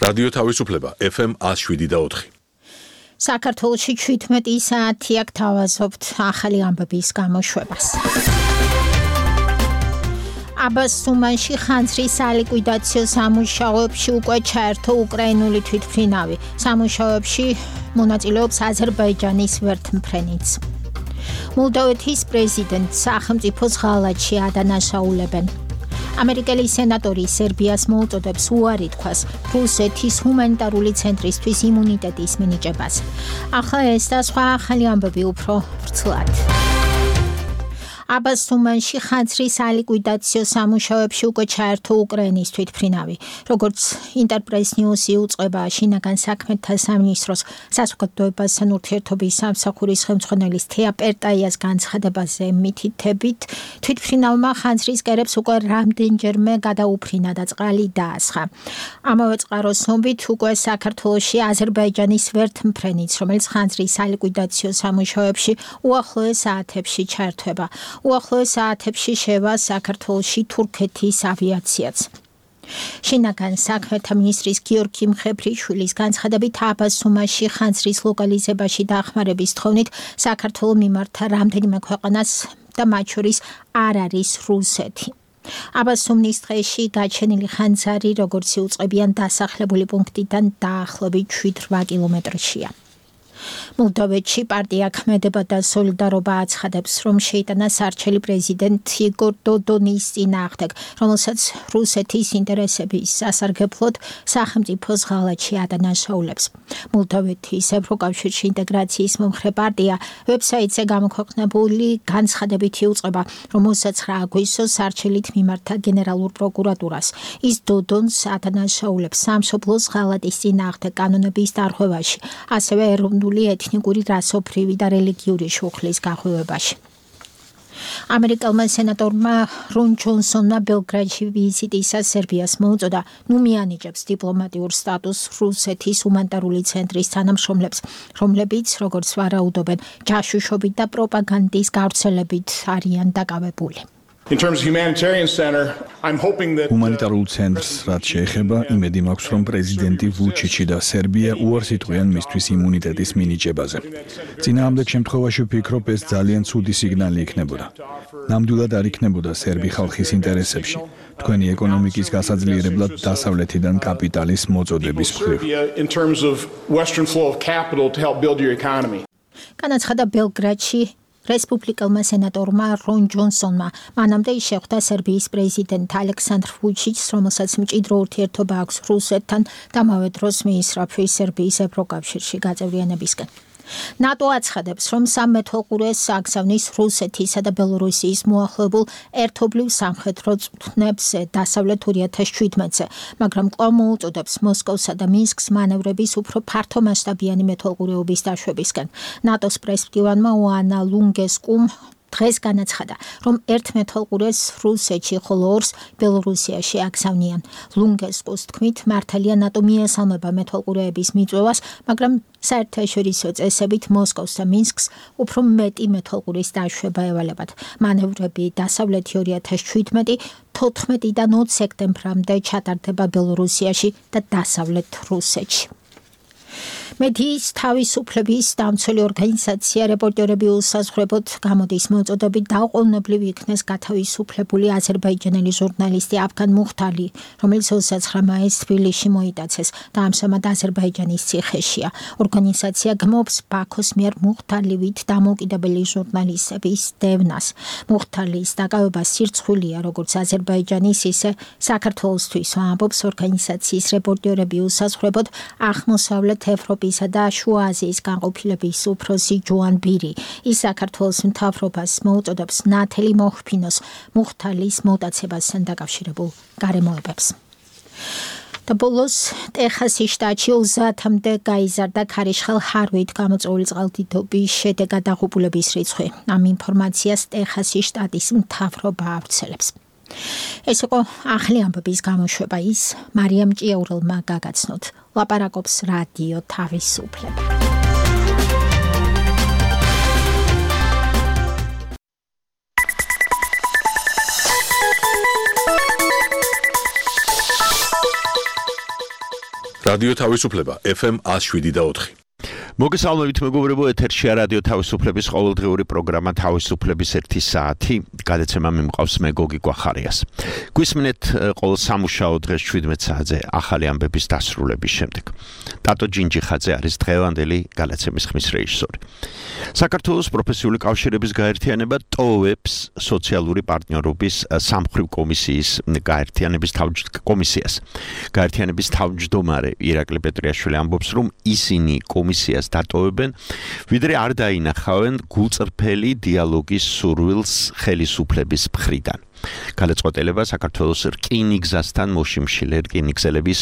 რადიო თავისუფლება FM 107.4. საქართველოში 17 საათი აქ თავაზობთ ახალი ამბების გამოშვებას. აბას სუმანში ხანძრის სალიკვიდაციო სამუშაოებში უკვე ჩაერთო უკრაინული თვითმფრინავი. სამუშაოებში მონაწილეობს აზერბაიჯანის ვერთმფრენიც. მოლდოვეთის პრეზიდენტს სახელმწიფოს ღალატში ადანაშაულებენ. ამერიკელი სენატორი სერბიას მოუწოდებს უარი თქვას რუსეთის ჰუმანიტარული ცენტრისთვის იმუნიტეტის მინიჭებას. ახლა ეს და სხვა ახალი ამბები უფრო ვრცლად. აბას სუმანში ხანძრის სალიკვიდაციო სამუშაოებში უკვე ჩაერთო უკრაინის თვითმფრინავი. როგორც ინტერპრეს ნიუსი უწყება შინაგან საქმეთა სამინისტროს საზოგადოებასთან ურთიერთობის სამსახურის ხელმძღვანელის თეა პერტაიას განცხადებაზე მითითებით, თვითმფრინავმა ხანძრის კერებს უკვე რამდენჯერმე გადაუფრინა და წყალი დაასხა. ამავე წყაროს ცნობით უკვე საქართველოში აზერბაიჯანის ვერთმფრენიც, რომელიც ხანძრის სალიკვიდაციო სამუშაოებში უახლოეს საათებში ჩაერთვება. უახლოეს საათებში შევა საქართველოში თურქეთის ავიაციაც. შინაგან საქმეთა მინისტრის გიორგი მხებრიშვილის განცხადებით აბას სუმანში ხანძრის ლოკალიზებაში დახმარების თხოვნით საქართველოს მიმართა რამდენიმე ქვეყანას და მათ შორის არ არის რუსეთი. აბას სუმნის დღეში გაჩენილი ხანძარი, როგორც იუწყებიან დასახლებული პუნქტიდან დაახლოებით 7-8 კილომეტრშია. მოლდოვეთში პარტია ქმედება და სოლიდარობა აცხადებს, რომ შეიტანა სარჩელი პრეზიდენტ იგორ დოდონის წინააღმდეგ, რომელსაც რუსეთის ინტერესების სასარგებლოდ სახელმწიფოს ღალატში ადანაშაულებს. მოლდოვეთის ევროკავშირში ინტეგრაციის მომხრე პარტია ვებსაიტზე გამოქვეყნებული განცხადებით იუწყება, რომ 29 აგვისტოს სარჩელით მიმართა გენერალურ პროკურატურას. ის დოდონს ადანაშაულებს სამშობლოს ღალატის წინააღმდეგ კანონების დარღვევაში, ასევე ეროვნული ეთნიკური, რასობრივი და რელიგიური შუხლის გახვევებაში. ამერიკელმა სენატორმა რონ ჯონსონმა ბელგრადში ვიზიტისას სერბიას მოუწოდა, ნუ მიანიჭებს დიპლომატიურ სტატუსს რუსეთის ჰუმანიტარული ცენტრის თანამშრომლებს, რომლებიც, როგორც ვარაუდობენ, ჯაშუშობით და პროპაგანდის გავრცელებით არიან დაკავებული. ჰუმანიტარულ ცენტრს რაც შეეხება, იმედი მაქვს, რომ პრეზიდენტი ვუჩიჩი და სერბია უარს იტყვიან მისთვის იმუნიტეტის მინიჭებაზე. წინააღმდეგ შემთხვევაში ვფიქრობ, ეს ძალიან ცუდი სიგნალი იქნებოდა. ნამდვილად არ იქნებოდა სერბი ხალხის ინტერესებში, თქვენი ეკონომიკის გასაძლიერებლად დასავლეთიდან კაპიტალის მოწოდების მხრივ. განაცხადა ბელგრადში რესპუბლიკელმა სენატორმა რონ ჯონსონმა. მანამდე ის შეხვდა სერბიის პრეზიდენტ ალექსანდრ ვუჩიჩს, რომელსაც მჭიდრო ურთიერთობა აქვს რუსეთთან და ამავე დროს მიისწრაფვის სერბიის ევროკავშირში გაწევრიანებისკენ. ნატო აცხადებს, რომ სამმეთვალყურეს აგზავნის რუსეთისა და ბელორუსიის მოახლოებულ ერთობლივ სამხედრო წვრთნებს დასავლეთ 2017-ზე, მაგრამ კვლავ მოუწოდებს მოსკოვსა და მინსკს მანევრების უფრო ფართომასშტაბიანი მეთვალყურეობის დაშვებისკენ. ნატოს პრესმდივანმა ოანა ლუნგესკუმ დღეს განაცხადა, რომ ერთ მეთვალყურეს რუსეთში, ხოლო ორს ბელორუსიაში აგზავნიან. ლუნგესკუს თქმით, მართალია ნატო მიესალმება მეთვალყურეების მიწვევას, მაგრამ საერთაშორისო წესებით მოსკოვს და მინსკს უფრო მეტი მეთვალყურის დაშვება ევალებათ. მანევრები დასავლეთი 2017, 14-დან 20 სექტემბრამდე ჩატარდება ბელორუსიაში და დასავლეთ რუსეთში. მედიის თავისუფლების დამცველი ორგანიზაცია რეპორტერები უსაზღვრებოდ გამოდის მოწოდებით დაუყოვნებლივ იქნეს გათავისუფლებული აზერბაიჯანელი ჟურნალისტი აფგან მუხთალი, რომელიც 29 მაისს თბილისში მოიტაცეს და ამჟამად აზერბაიჯანის ციხეშია. ორგანიზაცია გმობს ბაქოს მიერ მუხთალივით დამოუკიდებელი ჟურნალისტების დევნას. მუხთალის დაკავება სირცხვილია როგორც აზერბაიჯანის, ისე საქართველოსთვის, ამბობს ორგანიზაციის რეპორტერები უსაზღვრებოდ აღმოსავლეთ ევროპისა და შუა აზიის განყოფილების უფროსი ჯოან ბირი. ის საქართველოს მთავრობას მოუწოდებს ნათელი მოჰფინოს მუხთალის მოტაცებასთან დაკავშირებულ გარემოებებს. და ბოლოს ტეხასის შტატში 30-მდე გაიზარდა ქარიშხალ ჰარვით გამოწვეული წყალდიდობის შედეგად დაღუპულების რიცხვი. ამ ინფორმაციას ტეხასის შტატის მთავრობა ავრცელებს. ეს იყო ახალი ამბების გამოშვება, ის მარიამ ჭიაურელმა გაგაცნოთ. ლაპარაკობს რადიო თავისუფლება. რადიო თავისუფლება FM 107.4. მოგესალმებით მეგობრებო, ეთერშია რადიო თავისუფლების ყოველდღიური პროგრამა თავისუფლების 1 საათი. გადაცემა მიმყავს მე გოგი გვახარიას. გვისმენთ ყოველ სამუშაო დღეს 17 საათზე ახალი ამბების დასრულების შემდეგ. ტატო ჯინჯიხაძე არის დღევანდელი გადაცემის ხმის რეჟისორი. საქართველოს პროფესიული კავშირების გაერთიანება ტოვებს სოციალური პარტნიორობის სამმხრივ კომისიის გაერთიანების თავმჯდომარე ირაკლი პეტრიაშვილი ამბობს, რომ ისინი კომისიას დატოვებენ, ვიდრე არ დაინახავენ გულწრფელი დიალოგის სურვილს ხელისუფლების მხრიდან. გადაწყვეტილება საქართველოს რკინიგზასთან მოშიმშილე რკინიგზელების,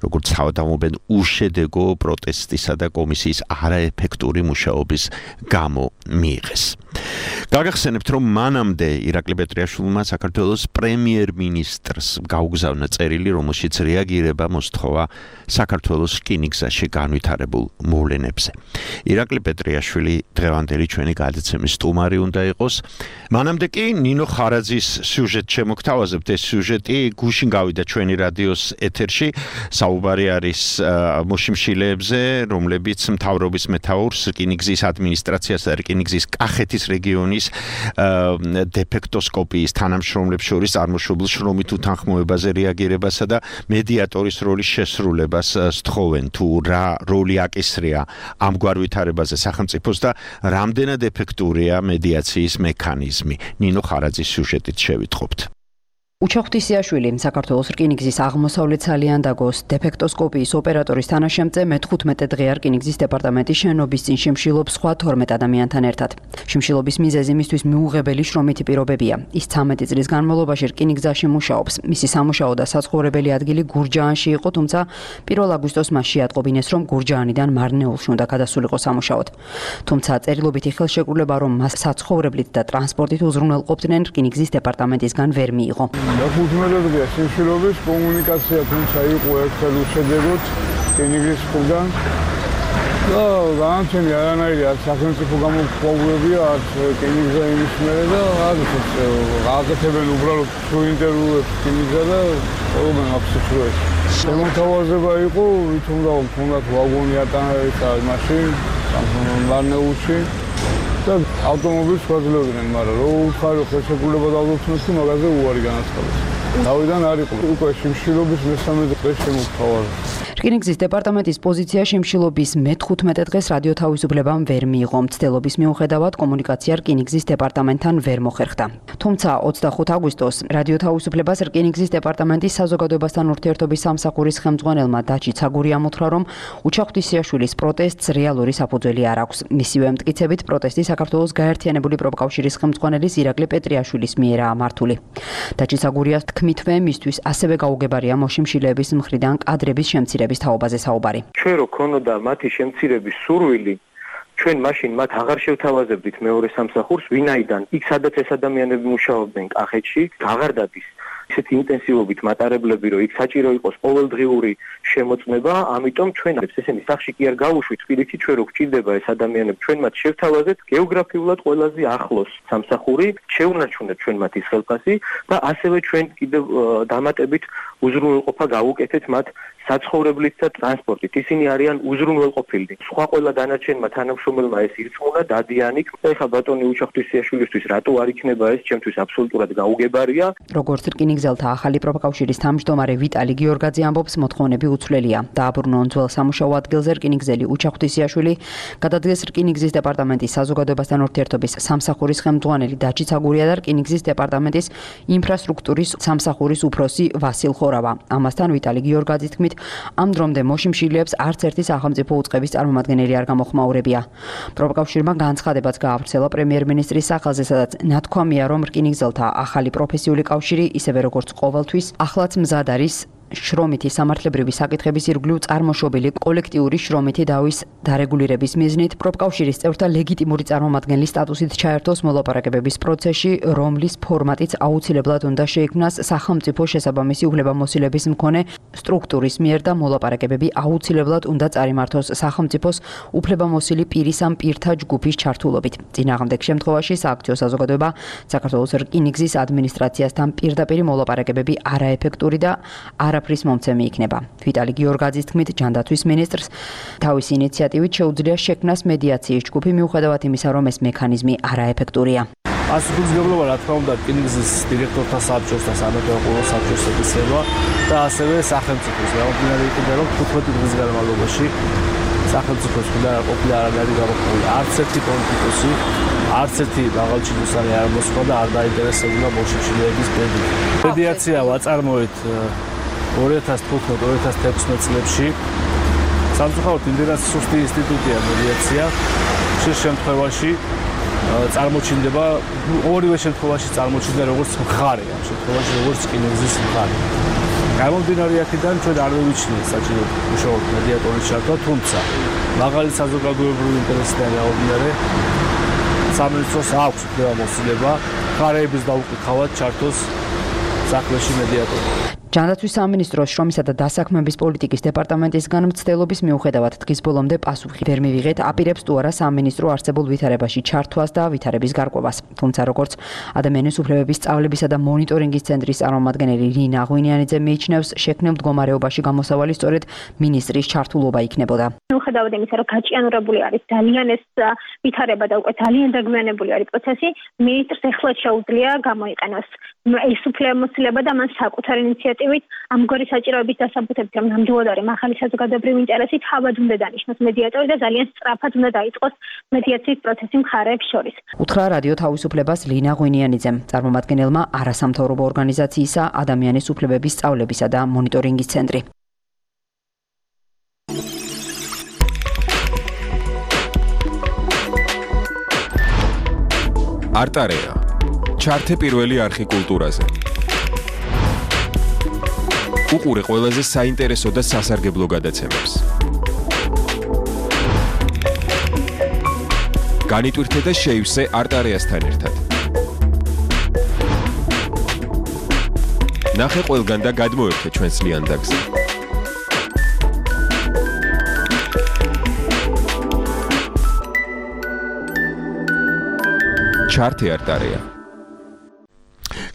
როგორც თავდამობენ, უშედეგო პროტესტისა და კომისიის არაეფექტური მუშაობის გამო მიიღეს. გაგახსენებთ, რომ მანამდე ირაკლი პეტრიაშვილმა საქართველოს პრემიერ-მინისტრს გაუგზავნა წერილი, რომელშიც რეაგირება მოსთხოვა საქართველოს რკინიგზაში განვითარებულ მოვლენებზე. ირაკლი პეტრიაშვილი დღევანდელი ჩვენი გადაცემის სტუმარი უნდა იყოს. მანამდე კი ნინო ხარაძის სიუჟეტ შემოგთავაზებთ. ეს სიუჟეტი გუშინ გავიდა ჩვენი რადიოს ეთერში. საუბარი არის მოშიმშილეებზე, რომლებიც მთავრობის მეთაურს, რკინიგზის ადმინისტრაციას და რკინიგზის კახეთის რეგიონის დეფექტოსკოპიის თანამშრომლებს შორის წარმოშობილ შრომით უთანხმოებაზე რეაგირებასა და მედიატორის როლის შესრულებას სთხოვენ, თუ რა როლი აკისრია ამგვარ ვითარებაზე სახელმწიფოს და რამდენად ეფექტურია მედიაციის მექანიზმი. ნინო ხარაძის სიუჟეტით შევიტყობთ. უჩახვთისიაშვილი საქართველოს რკინიგზის აღმოსავლეთ სალიანდაგოს დეფექტოსკოპიის ოპერატორის თანაშემწე მე-15 დღეა რკინიგზის დეპარტამენტის შენობის წინ შიმშილობს სხვა 12 ადამიანთან ერთად. შიმშილობის მიზეზი მისთვის მიუღებელი შრომითი პირობებია. ის 13 წლის განმავლობაში რკინიგზაში მუშაობს. მისი სამუშაო და საცხოვრებელი ადგილი გურჯაანში იყო, თუმცა 1 აგვისტოს მას შეატყობინეს, რომ გურჯაანიდან მარნეულში უნდა გადასულიყო სამუშაოდ. თუმცა წერილობითი ხელშეკრულება, რომ მას საცხოვრებლით და ტრანსპორტით უზრუნველყოფდნენ, რკინიგზის დეპარტამენტისგან ვერ მიიღო. 15 დღეა შიმშილობის კომუნიკაცია, თუმცა იყო ერთხელ უშედეგოდ რკინიგზის მხრიდან და განაჩენი არანაირი არც სახელმწიფო გამოქვაბულებია, არც რკინიგზა იმის მერე და აკეთებენ უბრალოდ ინტერვიუებს რკინიგზა და ყველგან აფსიქროებს. შემოთავაზება იყო, ვითომ თუნდაც ვაგონი ატანებდა მაშინ მარნეულში და ავტომობილს ვაძლევდნენ, მაგრამ რო უთხარო ხელშეკრულება დავდოთ, მაგაზე უარი განაცხადეს. თავიდან არ იყო უკვე შიმშილობის მე-13 დღეს შემოთავაზა. რკინიგზის დეპარტამენტის პოზიცია შიმშილობის მე-15 დღეს რადიო თავისუფლებამ ვერ მიიღო. მცდელობის მიუხედავად კომუნიკაცია რკინიგზის დეპარტამენტთან ვერ მოხერხდა. თუმცა 25 აგვისტოს რადიო თავისუფლებას რკინიგზის დეპარტამენტის საზოგადოებასთან ურთიერთობის სამსახურის ხელმძღვანელმა დაჩი ცაგურიამ უთხრა, რომ უჩახვთისიაშვილის პროტესტს რეალური საფუძველი არ აქვს. მისივე მტკიცებით პროტესტი საქართველოს გაერთიანებული პროფკავშირის ხელმძღვანელის ირაკლი პეტრიაშვილის მიერაა მართული. დაჩი ცაგურიას თქმითვე მისთვის ასევე გაუგებარია მოშიმშილეების მხრიდან კადრების შემცირების თაობაზე საუბარი. ჩვენ რო ქონოდა მათი შემცირების სურვილი, ჩვენ მაშინ მათ აღარ შევთავაზებდით მეორე სამსახურს, ვინაიდან იქ სადაც ეს ადამიანები მუშაობდნენ კახეთში, აღარ დადის ისეთი ინტენსივობით მატარებლები, რომ იქ საჭირო იყოს ყოველდღიური შემოწმება, ამიტომ ჩვენ ესენი სახში კი არ გავუშვით, პირიქით ჩვენ რო გვჭირდება ეს ადამიანები, ჩვენ მათ შევთავაზეთ გეოგრაფიულად ყველაზე ახლოს სამსახური, შეუნარჩუნეთ ჩვენ მათ ის ხელფასი და ასევე ჩვენ კიდევ დამატებით უზრუნველყოფა გავუკეთეთ მათ საცხოვრებლით და ტრანსპორტით. ისინი არიან უზრუნველყოფილნი. სხვა ყველა დანარჩენმა თანამშრომელმა ეს ირწმუნა, დადიან იქ. ეხლა ბატონი უჩახვთისიაშვილისთვის რატო არ იქნება ეს, ჩემთვის აბსოლუტურად გაუგებარია. როგორც რკინიგზელთა ახალი პროფკავშირის თავმჯდომარე ვიტალი გიორგაძე ამბობს, მოთხოვნები უცვლელია. დააბრუნონ ძველ სამუშაო ადგილზე რკინიგზელი უჩახვთისიაშვილი, გადადგეს რკინიგზის დეპარტამენტის საზოგადოებასთან ურთიერთობის სამსახურის ხელმძღვანელი დაჩი ცაგურია და რკინიგზის დეპარტამენტის ინფრასტრუქტურის სამსახურის უფროსი ვასილ ხორავა. ამასთან ვიტალი გიორგაძის თქმით, ამ დრომდე მოშიმშილეებს არც ერთი სახელმწიფო უწყების წარმომადგენელი არ გამოხმაურებია. პროფკავშირმა განცხადებაც გაავრცელა პრემიერ-მინისტრის სახელზე, სადაც ნათქვამია, რომ რკინიგზელთა ახალი პროფესიული კავშირი, ისევე როგორც ყოველთვის, ახლაც მზად არის შრომითი სამართლებრივი საკითხების ირგვლივ წარმოშობილი კოლექტიური შრომითი დავის დარეგულირების მიზნით პროფკავშირის წევრთა ლეგიტიმური წარმომადგენლის სტატუსით ჩაერთოს მოლაპარაკებების პროცესში, რომლის ფორმატიც აუცილებლად უნდა შეიქმნას სახელმწიფო შესაბამისი უფლებამოსილების მქონე სტრუქტურის მიერ და მოლაპარაკებები აუცილებლად უნდა წარიმართოს სახელმწიფოს უფლებამოსილი პირის ამ პირთა ჯგუფის ჩართულობით. წინააღმდეგ შემთხვევაში სააქციო საზოგადოება საქართველოს რკინიგზის ადმინისტრაციასთან პირდაპირ მოლაპარაკებები არაეფექტური და არა არაფრის მომცემი იქნება. ვიტალი გიორგაძის თქმით, ჯანდაცვის მინისტრს თავისი ინიციატივით შეუძლია შექმნას მედიაციის ჯგუფი, მიუხედავად იმისა, რომ ეს მექანიზმი არაეფექტურია. ასუფლისგებლობა რა თქმა უნდა რკინიგზის დირექტორთა საბჭოს და სამეთაყურო საბჭოს ეკისრება და ასევე სახელმწიფოს გამომდინარე იქიდან რომ 15 დღის განმავლობაში სახელმწიფოს მხრიდან არ ყოფილა არანაირი გამოყენებული არც ერთი პოლიტიკოსი, არც ერთი მაღალჩინოსანი არ მოსხდა და არ დაინტერესებულა ბოლშევიკების ბედი. მედიაცია ვაწარმოეთ 2015-2016 წლებში. სამწუხაროდ იმდენად სუსტი ინსტიტუტია მედიაცია. შეს შემთხვევაში წარმოჩინდება ორივე შემთხვევაში წარმოჩინდა როგორც მხარე, ამ შემთხვევაში როგორც რკინიგზის მხარე. გამომდინარე აქედან ჩვენ არ მივიჩნიეთ საჭირო უშუალოდ მედიატორის ჩართვა, თუმცა მაღალი საზოგადოებრივი ინტერესიდან გამომდინარე სამინისტროს აქვს უფლება მხარეების დაუკითხავად ჩართოს საქმეში მედიატორი. ჯანდაცვის სამინისტროს შრომისა და დასაქმების პოლიტიკის დეპარტამენტისგან მცდელობის მიუხედავად დღის ბოლომდე პასუხი ვერ მივიღეთ, აპირებს თუ არა სამინისტრო არსებულ ვითარებაში ჩართვას და ვითარების გარკვევას. თუმცა როგორც ადამიანის უფლებების სწავლებისა და მონიტორინგის ცენტრის წარმომადგენელი ლინა ღვინიანიძე მიიჩნევს, შექმნილ მდგომარეობაში გამოსავალი სწორედ მინისტრის ჩართულობა იქნებოდა. მიუხედავად იმისა, რომ გაჭიანურებული არის ძალიან ეს ვითარება და უკვე ძალიან დაგვიანებული არის პროცესი, მინისტრს ეხლა შეუძლია გამოიყენოს ეს უფლებამოსილება და მან საკუთარი ინიციატივით ამგვარი საჭიროების დასაბუთებით, რომ ნამდვილად არის მაღალი საზოგადოებრივი ინტერესი, თავად უნდა დანიშნოს მედიატორი და ძალიან სწრაფად უნდა დაიწყოს მედიაციის პროცესი მხარეებს შორის. უთხრა რადიო თავისუფლებას ლინა ღვინიანიძემ, წარმომადგენელმა არასამთავრობო ორგანიზაციისა ადამიანის უფლებების სწავლებისა და მონიტორინგის ცენტრი. არტარეა. ჩართე პირველი არხი კულტურაზე. უყურე ყველაზე საინტერესო და სასარგებლო გადაცემებს. განიტვირთე და შეივსე არტარეასთან ერთად. ნახე ყველგან და გადმოერთე ჩვენს ლიანდაგზე. ჩართე არტარეა.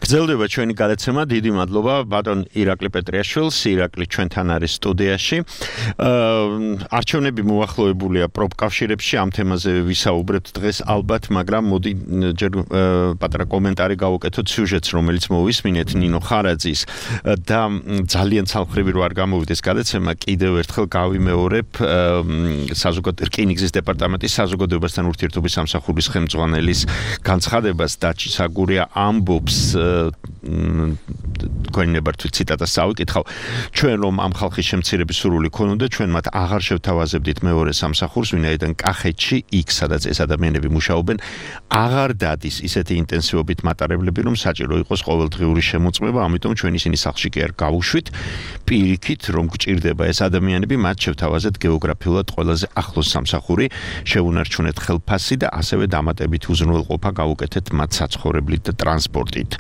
გრძელდება ჩვენი გადაცემა. დიდი მადლობა ბატონ ირაკლი პეტრიაშვილს. ირაკლი ჩვენთან არის სტუდიაში. არჩევნები მოახლოებულია პროფკავშირებში, ამ თემაზე ვისაუბრებთ დღეს ალბათ, მაგრამ მოდი ჯერ პატარა კომენტარი გავუკეთოთ სიუჟეტს, რომელიც მოვისმინეთ ნინო ხარაძის და ძალიან ცალმხრივი რო არ გამოვიდეს გადაცემა, კიდევ ერთხელ გავიმეორებ რკინიგზის დეპარტამენტის საზოგადოებასთან ურთიერთობის სამსახურის ხელმძღვანელის განცხადებას. დაჩი საგურია ამბობს თქვენებართვით ციტატას წავიკითხავ. ჩვენ რომ ამ ხალხის შემცირების სურვილი ქონოდა, ჩვენ მათ აღარ შევთავაზებდით მეორე სამსახურს, ვინაიდან კახეთში, იქ სადაც ეს ადამიანები მუშაობენ, აღარ დადის ისეთი ინტენსივობით მატარებლები, რომ საჭირო იყოს ყოველდღიური შემოწმება, ამიტომ ჩვენ ისინი სახლში კი არ გავუშვით. პირიქით, რომ გჭირდება ეს ადამიანები, მათ შევთავაზეთ გეოგრაფიულად ყველაზე ახლოს სამსახური, შევუნარჩუნეთ ხელფასი და ასევე დამატებით უზრუნველყოფა გავუკეთეთ მათ საცხოვრებლით და ტრანსპორტით.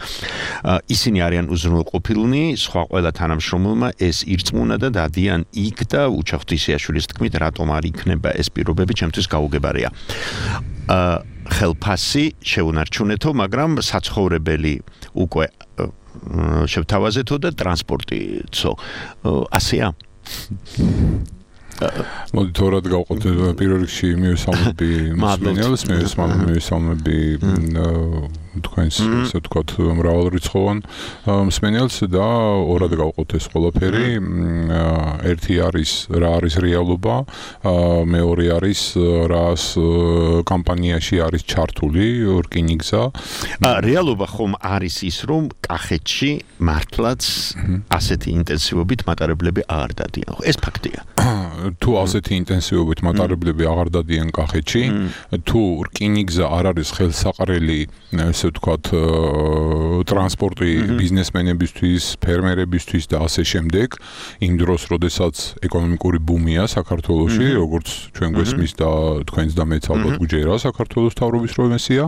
ისინი არიან უზრუნველყოფილნი, სხვა ყველა თანამშრომელმა ეს ირწმუნა და დადიან იქ და უჩახტისიაშვილის თქმით, რატომ არ იქნება ეს პირობები, ჩემთვის გაუგებარია. ხელფასი შევუნარჩუნეთო, მაგრამ საცხოვრებელი უკვე შევთავაზეთო და ტრანსპორტიცო. ასეა. მოდი თორად გავყოთ პირველ რიგში მივესალმები მსმენელს, მივესალმები თქვენს ასე ვთქვათ მრავალრიცხოვან მსმენელს და ორად გავყოთ ეს ყველაფერი. ერთი არის რა არის რეალობა, მეორე არის რას კამპანიაში არის ჩართული რკინიგზა. რეალობა ხომ არის ის, რომ კახეთში მართლაც ასეთი ინტენსივობით მატარებლები აღარ დადიან. ეს ფაქტია. თუ ასეთი ინტენსივობით მატარებლები აღარ დადიან კახეთში, თუ რკინიგზა არ არის ხელსაყრელი ასე ვთქვათ ტრანსპორტი ბიზნესმენებისთვის, ფერმერებისთვის და ასე შემდეგ, იმ დროს, როდესაც ეკონომიკური ბუმია საქართველოში, როგორც ჩვენ გვესმის და თქვენს და მეც ალბათ გვიჯერა საქართველოს მთავრობის პრომესია,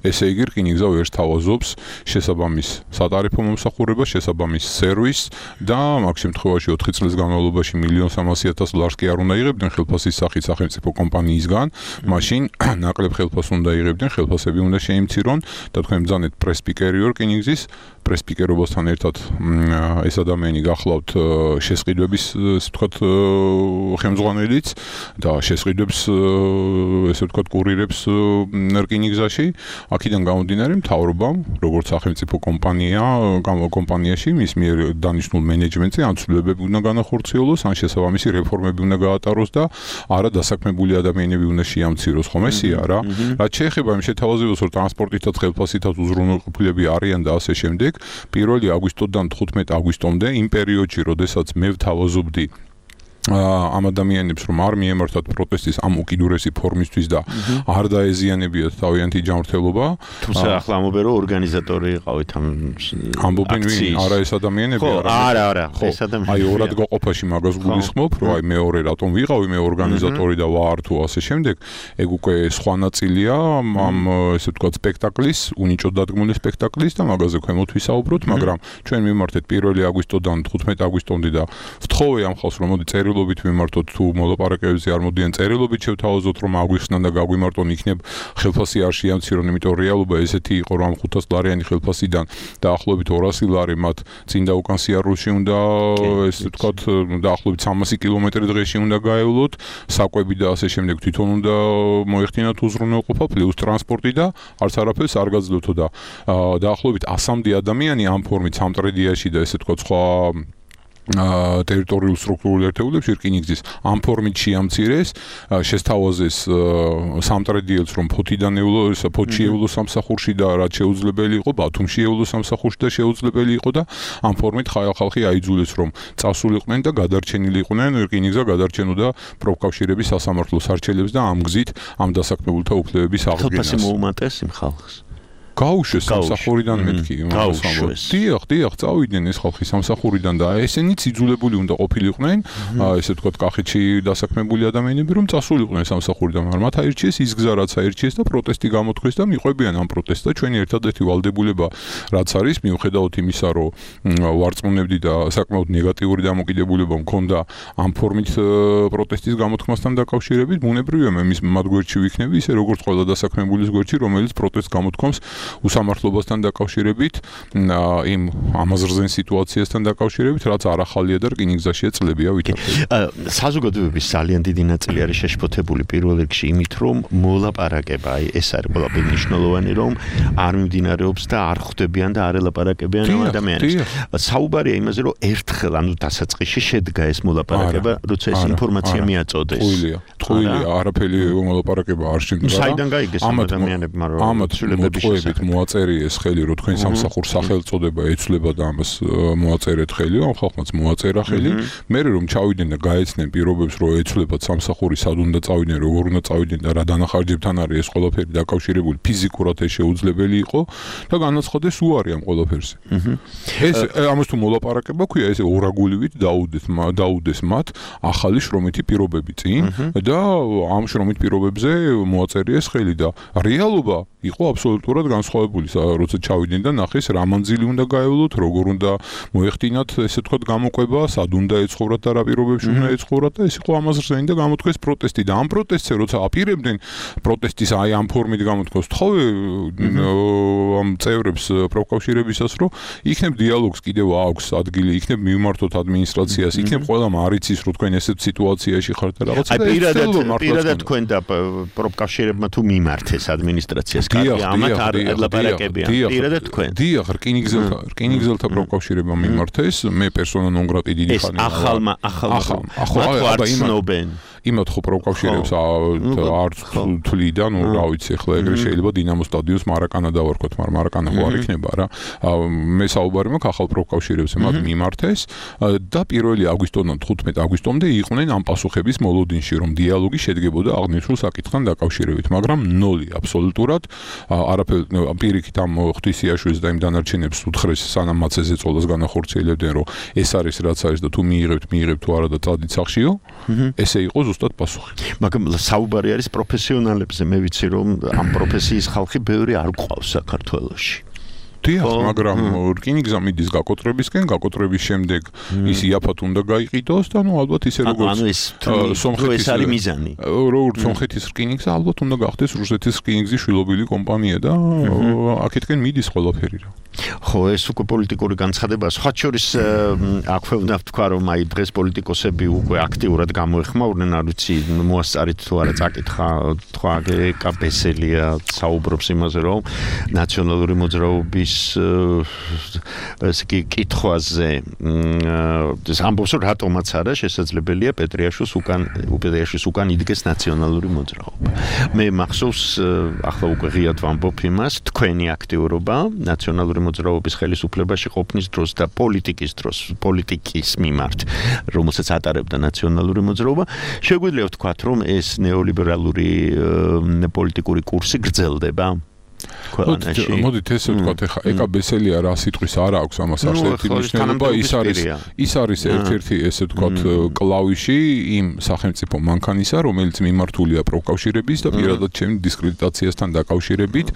ესე იგი რკინიგზა ვერ თავაზობს შესაბამის სატარიფო მომსახურებას, შესაბამის სერვისს და მაგ შემთხვევაში 4 წლის განმავლობაში $1,300,000 კი არ უნდა იღებდნენ ხელფასის სახით სახელმწიფო კომპანიისგან, მაშინ ნაკლებ ხელფასს უნდა იღებდნენ, ხელფასები უნდა შეიმცირონ და თქვენ ბრძანეთ პრესპიკერი რკინიგზის პრესპიკერობასთან ერთად ეს ადამიანი გახლავთ შესყიდვების ესე ვთქვათ ხელმძღვანელიც და შესყიდვებს ესე ვთქვათ კურირებს რკინიგზაში აქედან გამომდინარე მთავრობამ როგორც სახელმწიფო კომპანიაში მის მიერ დანიშნულ მენეჯმენტზე ან ცვლილებები უნდა განახორციელოს ან შესაბამისი რეფორმები უნდა გაატაროს და არა დასაქმებული ადამიანები უნდა შეამციროს ხომ ესეა რა რაც შეეხება იმ შეთავაზებას რომ ტრანსპორტითაც ხელფასითაც უზრუნველყოფილები არიან და ასე შემდეგ 1 აგვისტოდან 15 აგვისტომდე იმ პერიოდში როდესაც მე ვთავაზობდი ამ ადამიანებს რომ არ მიემართათ პროტესტის ამ უკიდურესი ფორმისთვის და არ დაეზიანებიათ თავიანთი ჯანმრთელობა თუმცა ახლა ამბობენ რომ ორგანიზატორი იყავით ამ ამბობენ ვინ არა ეს ადამიანები არა ეს ადამიანები აი ორად გაყოფაში მაგას გულისხმობ რომ აი მეორე რატომ ვიყავი მე ორგანიზატორი და ვარ თუ ასე შემდეგ ეგ უკვე სხვა ნაწილია ამ ესე ვთქვათ სპექტაკლის უნიჭოდ დადგმული სპექტაკლის და მაგაზე ქვემოთ ვისაუბროთ მაგრამ ჩვენ მიმართეთ 1 აგვისტოდან 15 აგვისტომდე და ვთხოვე ამ ხალხს რომ მოდი წერილობით მიმართოთ თუ მოლაპარაკებებზე არ მოდიან წერილობით შევთავაზოთ რომ აგვიხსნან და გაგვიმარტონ იქნებ ხელფასი არ შეამცირონ იმიტომ რეალობა ესეთი იყო რომ 500 ლარიანი ხელფასიდან დაახლოებით 200 ლარი მათ წინ და უკან სიარულში უნდა ესე ვთქვათ დაახლოებით 300 კილომეტრი დღეში უნდა გაევლოთ საკვები და ასე შემდეგ თვითონ უნდა მოეხდინათ უზრუნველყოფა პლუს ტრანსპორტი და არც არაფერს არ გაძლევთო და დაახლოებით 100-მდე ადამიანი ამ ფორმით სამტრედიაში და ესე ვთქვათ სხვა ტერიტორიულ სტრუქტურულ ერთეულებში რკინიგზის ამ ფორმით შეამცირეს შესთავაზეს სამტრედიელს რომ ფოთიდან ევლოს ფოთში ევლოს სამსახურში და რაც შეუძლებელი იყო ბათუმში ევლოს სამსახურში და შეუძლებელი იყო და ამ ფორმით ხალხი აიძულეს რომ წასულიყვნენ და გადარჩენილი იყვნენ რკინიგზა გადარჩენოდა პროფკავშირების სასამართლოს არჩევლებს და ამ გზით ამ დასაქმებულთა უფლებების აღდგენას ხელფასი მოუმატეს იმ ხალხს გაუშვეს სამსახურიდან მეთქი დიახ წავიდნენ ეს ხალხი სამსახურიდან და ესენიც იძულებული უნდა ყოფილიყვნენ ესე ვთქვათ კახეთში დასაქმებული ადამიანები რომ წასულიყვნენ სამსახურიდან მაგრამ მათ აირჩიეს ის გზა რაც აირჩიეს და პროტესტი გამოთქვეს და მიყვებიან ამ პროტესტს და ჩვენი ერთადერთი ვალდებულება რაც არის მიუხედავად იმისა რომ ვარწმუნებდი და საკმაოდ ნეგატიური დამოკიდებულება მქონდა ამ ფორმით პროტესტის გამოთქმასთან დაკავშირებით ბუნებრივია მე მათ გვერდში ვიქნები ისე როგორც ყველა დასაქმებულის გვერდში რომელიც პროტესტს გამოთქვამს უსამართლობასთან დაკავშირებით იმ ამაზრზენ სიტუაციასთან დაკავშირებით რაც არ ახალია და რკინიგზაშია წლებია ვითარდება საზოგადოების ძალიან დიდი ნაწილი არის შეშფოთებული პირველ რიგში იმით რომ მოლაპარაკება აი ეს არის ყველაფერი მნიშვნელოვანი რომ არ მიმდინარეობს და არ ხვდებიან და არ ელაპარაკებიან ამ ადამიანებს საუბარია იმაზე რომ ერთხელ ანუ დასაწყისში შედგა ეს მოლაპარაკება როცა ეს ინფორმაცია მიაწოდეს ტყუილია არაფერი მოლაპარაკება არ შედგა საიდან გაიგეს ამ ადამიანებმა რომ მოწყვებით მოაწერიეს ხელი რომ თქვენ სამსახურს სახელწოდება ეცვლება და ამას მოაწერეთ ხელი ამ ხალხმაც მოაწერა ხელი მე რომ ჩავიდნენ და გაეცნენ პირობებს რომ ეცვლებათ სამსახური სად უნდა წავიდნენ როგორ უნდა წავიდნენ და რა დანახარჯებთან არის ეს ყველაფერი დაკავშირებული ფიზიკურად ეს შეუძლებელი იყო და განაცხადეს უარი ამ ყველაფერზე ეს ამას თუ მოლაპარაკება ქვია ეს ორაგულივით დაუდეს მათ ახალი შრომითი პირობები წინ და ამ შრომით პირობებზე მოაწერიეს ხელი და რეალობა იყო აბსოლუტურად განსხვავებული, როცა ჩავიდნენ და ნახეს რა მანძილი უნდა გაევლოთ, როგორ უნდა მოეხდინათ, ესე ვთქვათ, გამოყვება, სად უნდა ეცხოვრათ და რა პირობებში უნდა ეცხოვრათ და ეს იყო ამაზრზენი და გამოთქვეს პროტესტი და ამ პროტესტზე როცა აპირებდნენ პროტესტის აი ამ ფორმით გამოთქვას, თხოვე ამ წევრებს პროფკავშირებისას, რომ იქნებ დიალოგს კიდევ აქვს ადგილი, იქნებ მიმართოთ ადმინისტრაციას, იქნებ ყველამ არიცის, რომ თქვენ ესეთ სიტუაციაში ხართ და რაღაცა და პირადად თქვენ და პროფკავშირებმა თუ მიმართეს ადმინისტრაციას ამათ არ ელაპარაკებიან პირადად თქვენ დიახ რკინიგზელთა პროფკავშირებმა მიმართეს მე პერსონა ნონ გრატი დიდი ხანი ახლა იმათ ხო პროფკავშირებს არ თვლიდა ნუ რა ვიცი ახლა ეგრე შეიძლება დინამო სტადიონს მარაკანა დავარქვათ მაგრამ მარაკანა ხო არ იქნება რა მე საუბარი მაქვს ახალ პროფკავშირებზე მათ მიმართეს და 1 აგვისტოდან 15 აგვისტომდე იყვნენ ამ პასუხების მოლოდინში რომ დიალოგი შედგებოდა აღნიშნულ საკითხთან დაკავშირებით მაგრამ ნოლი აბსოლუტურად არაფერ პირიქით ამ ღვთისიაშვილს და იმ დანარჩენებს უთხრეს სანამ მათ ეს ეწოლას განახორციელებდნენ რომ ეს არის რაც არის და თუ მიიღებთ თუ არა და წადით სახშიო ესე იყო ზუსტად პასუხი მაგრამ საუბარი არის პროფესიონალებზე მე ვიცი რომ ამ პროფესიის ხალხი ბევრი არ გვყავს საქართველოში დიახ, მაგრამ რკინიგზა მიდის გაკოტრებისკენ, გაკოტრების შემდეგ ის იაფად უნდა გაიყიდოს და ნუ ალბათ ისე როგორც სომხეთის ეს არის მიზანი. როგორც სომხეთის რკინიგზა ალბათ უნდა გახდეს რუსეთის რკინიგზის შვილობილი კომპანია და აქეთკენ მიდის ყველაფერი რა. ხო, ეს უკვე პოლიტიკური განცხადებაა. სხვა შორის აქვე უნდა ვთქვა, რომ აი დღეს პოლიტიკოსები უკვე აქტიურად გამოეხმაურნენ, არ ვიცი, მოასწარით თუ არა წაკითხა, თქვა ეკაბესელია საუბრობს იმაზე, რომ ნაციონალური მოძრაობის ესე იგი კითხვაზე ეს ამბობს, რომ რატომაც არა შესაძლებელია პეტრიაშვილს უკან იდგეს ნაციონალური მოძრაობა. მე მახსოვს ახლა უკვე ღიად ვამბობ იმას, თქვენი აქტიურობა ნაციონალური მოძრაობის ხელისუფლებაში ყოფნის დროს და პოლიტიკის მიმართ, რომელსაც ატარებდა ნაციონალური მოძრაობა, შეგვიძლია ვთქვათ, რომ ეს ნეოლიბერალური პოლიტიკური კურსი გრძელდება. მოდით ესე ვთქვათ, ეხა ეკაბესელია რა სიტყვის არ აქვს ამას არსებითი მნიშვნელობა, ის არის ერთ-ერთი ესე ვთქვათ კლავიში იმ სახელმწიფო მანქანისა, რომელიც მიმართულია პროფკავშირების და პირადად ჩემი დისკრედიტაციასთან დაკავშირებით,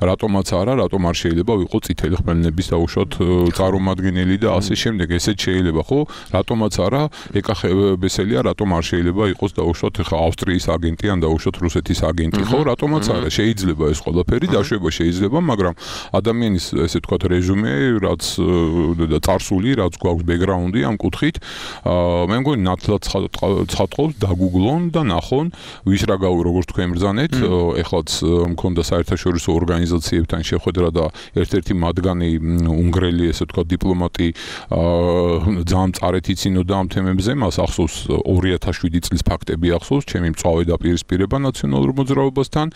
რატომაც არა, რატომ არ შეიძლება ვიყო წითელი ხმელნების დაუშვათ წარმომადგენელი და ასე შემდეგ, ესეც შეიძლება, ხო? რატომაც არა, ეკაბესელია, რატომ არ შეიძლება იყოს დაუშვათ ეხა ავსტრიის აგენტი ან დაუშვათ რუსეთის აგენტი, ხო? რატომაც არა, შეიძლება ეს ყველაფერი შეიძლება, მაგრამ ადამიანის ესე ვთქვათ რეჟუმე, რაც და წარსული, რაც გვაქვს ბექგრაუნდი ამ კუთხით, მე მგონი ნათლად ცხადყობს, დაგუგლონ და ნახონ, ვის რა როგორც თქვენ ბრძანეთ, ეხლაც მქონდა საერთაშორისო ორგანიზაციებთან შეხვედრა და ერთ-ერთი მათგანი უნგრელი ესე ვთქვათ დიპლომატი ძალიან მწარეთ იცინოდა ამ თემებზე, მას ახსოვს 2007 წლის ფაქტები ახსოვს, ჩემი მწვავე დაპირისპირება ნაციონალურ მოძრაობასთან,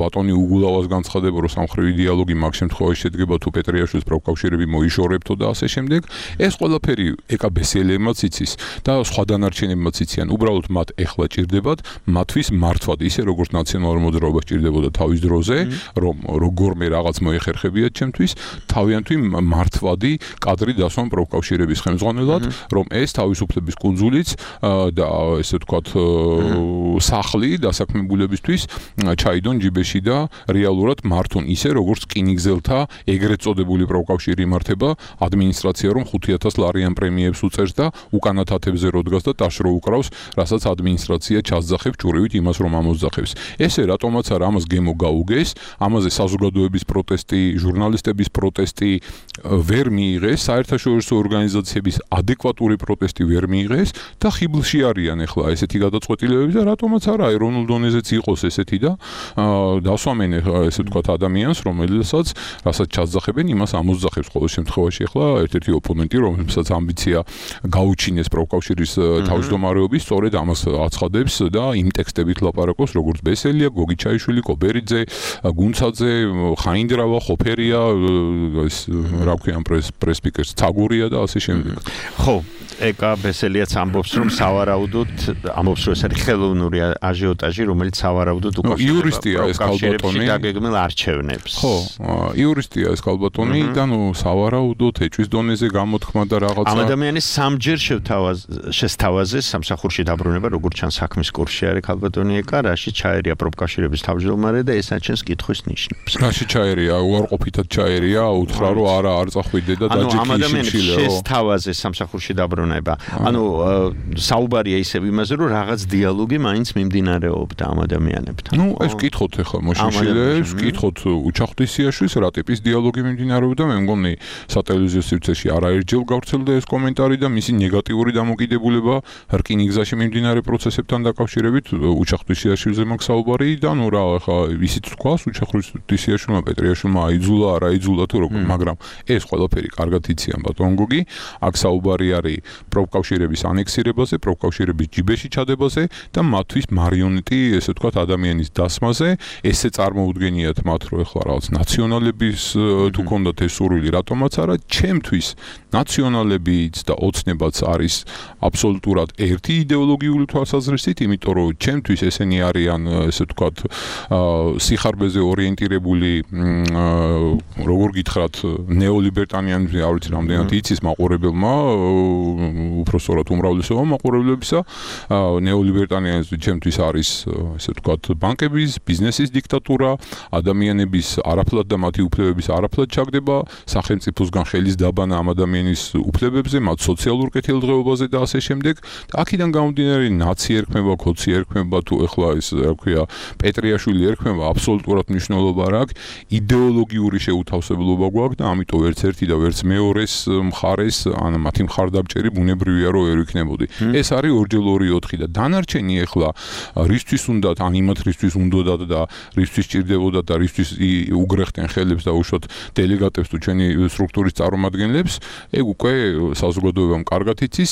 ბატონი უგულავას განცხადება, რომ სამხრივი დიალოგი მაგ შემთხვევაში შედგება თუ პეტრიაშვილის პროფკავშირები მოიშორებთო და ასე შემდეგ. ეს ყველაფერი ეკაბესელებმაც იცის და სხვა დანარჩენებმაც იციან. უბრალოდ მათ ეხლა ჭირდებათ მათთვის მართვად, ისე როგორც ნაციონალურ მოძრაობას ჭირდებოდა თავის დროზე, რომ როგორმე რაღაც მოეხერხებიათ ჩემთვის, თავიანთი მართვადი კადრი დასვან პროფკავშირების ხელმძღვანელად, რომ ეს თავისუფლების კუნძულიც და ესე ვთქვათ სახლი დასაქმებულებისთვის ჩაიდონ ჯიბეში და რეალურად მართონ ისე როგორც რკინიგზელთა ეგრეთ წოდებული პროფკავშირი იმართება, ადმინისტრაცია რომ 5000 ლარიან პრემიებს უწევს და უკანა თათებზე როდგას და ტაშრო უკრავს, რასაც ადმინისტრაცია ჩასძახებს ჭურივით იმას რომ ამოსძახებს. ესე რატომაც არა ამას გემო გაუგეს, ამაზე საზოგადოების პროტესტი, ჟურნალისტების პროტესტი ვერ მიიღეს, საერთაშორისო ორგანიზაციების ადეკვატური პროტესტი ვერ მიიღეს და ხიბლში არიან ახლა ესეთი გადაწყვეტილებები და რატომაც არა ეროვნულ დონეზეც იყოს ესეთი და დასვამენ ესე ვთქვათ ადამიანს, რასაც ჩასძახებენ, იმას ამოსძახებს ყოველ შემთხვევაში ახლა ერთ-ერთი ოპონენტი, რომელსაც ამბიცია გაუჩინეს პროფკავშირის თავმჯდომარეობის, სწორედ ამას აცხადებს და იმ ტექსტებით ლაპარაკობს, როგორც ბესელია, გოგი ჩაიშვილი, კობერიძე, გუნცაძე, ხაინდრავა, ხოფერია, ეს რა ქვია პრესპიკერს, ცაგურია და ასე შემდეგ. ხო, ეკაბესელიაც ამბობს, რომ სავარაუდოდ ამბობს, რომ ეს არის ხელოვნური აჟიოტაჟი, რომელიც სავარაუდოდ უკავშირდება იურისტია ეს ქალბატონი დაგეგმილ არჩევნებს. ხო, იურისტია ეს ქალბატონი და ნუ სავარაუდოდ ეჭვის დონეზე გამოთქმა და რაღაცა. ამ ადამიანის სამჯერ შესთავაზეს სამსახურში დაბრუნება, როგორც ჩანს საქმის კურსში არის ქალბატონი ეკა, რაში ჩაერია პროფკავშირების თავმჯდომარე და ეს აჩენს კითხვის ნიშნებს. რაში ჩაერია, უარყოფითად ჩაერია, უთხრა რომ არა არ წახვიდე და დაჯექი ამ ადამიანის შესთავაზეს სამსახურში დაბრუნება. ანუ საუბარია ისევ იმაზე, რომ რაღაც დიალოგი მაინც მიმდინარეობდა ამ ადამიანებთან. ნუ ეს კითხოთ ახლა მოშიშილებს, კითხოთ უჩახტისიაშვილს, რა ტიპის დიალოგი მიმდინარეობდა, მე მგონი სატელევიზიო სივრცეში არაერთჯერ გავრცელდა ეს კომენტარი და მისი ნეგატიური დამოკიდებულება რკინიგზაში მიმდინარე პროცესებთან დაკავშირებით უჩახტისიაშვილზე მაქვს საუბარი და ნუ რა ახლა ისიც თქვას უჩახტისიაშვილმა პეტრიაშვილმა აიძულა, არ აიძულა თუ როგორ, მაგრამ ეს ყველაფერი კარგად იციან ბატონ გოგი, აქ საუბარი არის პროფკავშირების ანექსირებაზე, პროფკავშირების ჯიბეში ჩადებაზე და მათთვის მარიონეტი, ესე ვთქვათ, ადამიანის დასმაზე, ესე წარმოუდგენიათ მათ, რომ ეხლა რაღაც ნაციონალების თუ ქონდათ ეს სურვილი, რატომაც არა, ჩემთვის ნაციონალებიც და ოცნებაც არის აბსოლუტურად ერთი იდეოლოგიური თვალსაზრისით, იმიტომ რომ ჩემთვის ესენი არიან, ესე ვთქვათ, სიხარბეზე ორიენტირებული, როგორ გითხრათ, ნეოლიბერტანიანიზმი, არ ვიცი რამდენად იცის მაყურებელმა, უпростоრად უმრავლესობა მაყურებლებისა, ნეოლიბერტანიანიზმი ჩემთვის არის, ესე ვთქვათ, ბანკების, ბიზნესის დიქტატურა, ადამიანის ადამიანების არაფლად და მათი უფლებების არაფლად ჩაგდება, სახელმწიფოსგან ხელის დაბანა ამ ადამიანის უფლებებზე, მათ სოციალურ კეთილდღეობაზე და ასე შემდეგ. აქედან გამომდინარე ნაცი ერქმება, ქოცი ერქმება, თუ ეხლა ეს რა ქვია, პეტრიაშვილი ერქმება, აბსოლუტურად მნიშვნელობა არ აქვს. იდეოლოგიური შეუთავსებლობა გვაქვს და ამიტომ ვერც ერთი და ვერც მეორეს მხარეს, ან მათი მხარდამჭერი ბუნებრივია რომ ვერ ვიქნებოდი. ეს არის 2x2 და დანარჩენი ეხლა რისთვის უნდათ, ან იმათრისთვის უნდათ და რისთვის ჭირდებოდათ და რისთვის უგრეხდნენ ხელებს და უშუალოდ დელეგატებს თუ ჩვენი სტრუქტურის წარმომადგენლებს, ეგ უკვე საზოგადოებამ კარგად იცის,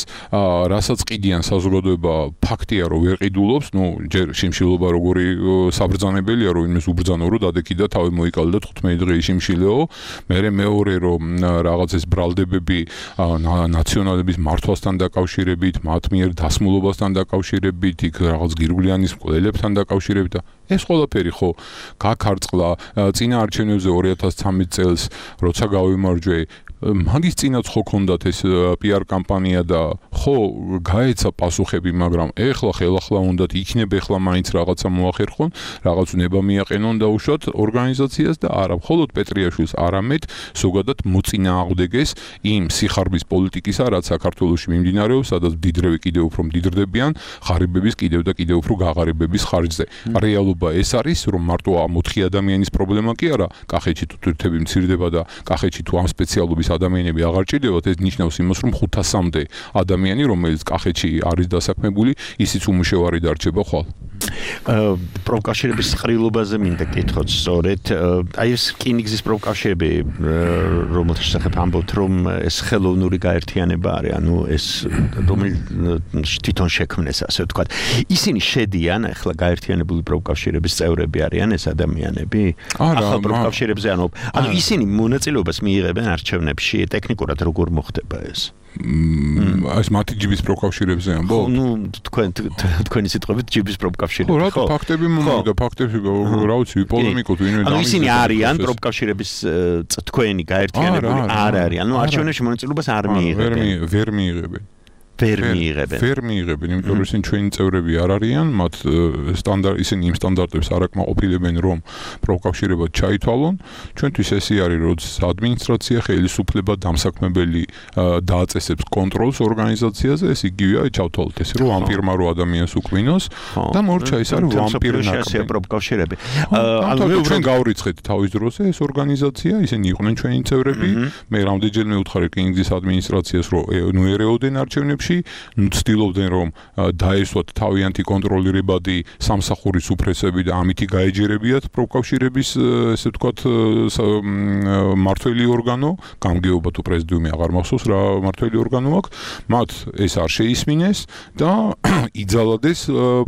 რასაც ყიდიან საზოგადოება ფაქტია რომ ვერ ყიდულობს, ჯერ შიმშილობა როგორი საბრძანებელია რომ იმის უბრძანო რომ დადექიდა თავი მოიკალდა 15 დღე შიმშილეო, მერე მეორე რომ რაღაც ეს ბრალდებები ნაციონალების მართვასთან დაკავშირებით, მათ მიერ დასმულობასთან დაკავშირებით, იქ რაღაც გირგვლიანის მკვლელებთან დაკავშირებით და ეს ყველაფერი ხო გაქარწყლა წინა არჩევნებზე 2013 წელს, როცა გავიმარჯვე მაგის წინაც ხო ქონდათ ეს PR კამპანია და ხო გაეცა პასუხები, მაგრამ ეხლა ხელახლა უნდათ იქნებ ეხლა მაინც რაღაცა მოახერხონ, რაღაც ნება მიაყენონ და უშუალოდ ორგანიზაციას და არა მხოლოდ პეტრიაშვილს, არამედ ზოგადად მოწინააღმდეგეს იმ სიხარბის პოლიტიკისა, რაც საქართველოში მიმდინარეობს, სადაც მდიდრები კიდევ უფრო მდიდრდებიან, ღარიბების კიდევ და კიდევ უფრო გაღარიბების ხარჯზე. რეალობა ეს არის, რომ მარტო ამ 4 ადამიანის პრობლემა კი არა, კახეთში თუ თურქები მცირდება და კახეთში თუ ამ სპეციალობის ადამიანები აღარ ჭირდებათ, ეს ნიშნავს იმას, რომ 500-მდე ადამიანი, რომელიც კახეთში არის დასაქმებული, ისიც უმუშევარი დარჩება ხვალ. პროფკავშირების ყრილობაზე მინდა კითხოთ სწორედ. აი ეს რკინიგზის პროფკავშირები, რომელთა შესახებ ამბობთ, რომ ეს ხელოვნური გაერთიანება არის, ანუ ეს თვითონ შექმნეს, ასე ვთქვათ. ისინი შედიან ახლა გაერთიანებული პროფკავშირების წევრები არიან ეს ადამიანები? ახალ პროფკავშირებზე ანუ ისინი მონაწილეობას მიიღებენ არჩევნებში, ტექნიკურად როგორ მოხდება ეს? ეს მათი ჯიბის პროფკავშირებზე ამბობ? თქვენი სიტყვებით ჯიბის პროფკავშირები. ხო, რა ფაქტები მომიგდა, ფაქტებში რა ვიცი, პოლემიკოთ ვინმე ანუ ისინი არიან პროფკავშირების თქვენი გაერთიანებული არ არიან. ანუ არჩევნებში მონაწილეობას არ მიიღებენ. ვერ მიიღებენ. ვერ მიიღებენ, იმიტომ რომ ისინი ჩვენი წევრები არ არიან, მათ ისინი იმ სტანდარტებს არ აკმაყოფილებენ, რომ პროფკავშირებად ჩაითვალონ. ჩვენთვის ესე არის, როდის ადმინისტრაცია, ხელისუფლება, დამსაქმებელი დააწესებს კონტროლს ორგანიზაციაზე, ეს იგივეა, ჩავთვალოთ ესე, რომ ვამპირმა რო ადამიანს უკმინოს და მორჩა ის არის ვამპირნაკი პროფკავშირები. ანუ ჩვენ გავრიცხეთ თავის დროზე ეს ორგანიზაცია, ისინი იყვნენ ჩვენი წევრები, მე რამდენჯერმე უთხარი რკინიგზის ადმინისტრაციას, რომ ერეოდენ არჩევნებში ცდილობდნენ რომ დაესვათ თავიანთი კონტროლირებადი სამსახურის უფრესები და ამითი გაეჯერებიათ პროფკავშირების ესე ვთქვათ მართველი ორგანო, გამგეობა თუ პრეზიდიუმი აღარ მახსოვს რა მართველი ორგანო აქვს, მათ ეს არ შეისმინეს და იძალადეს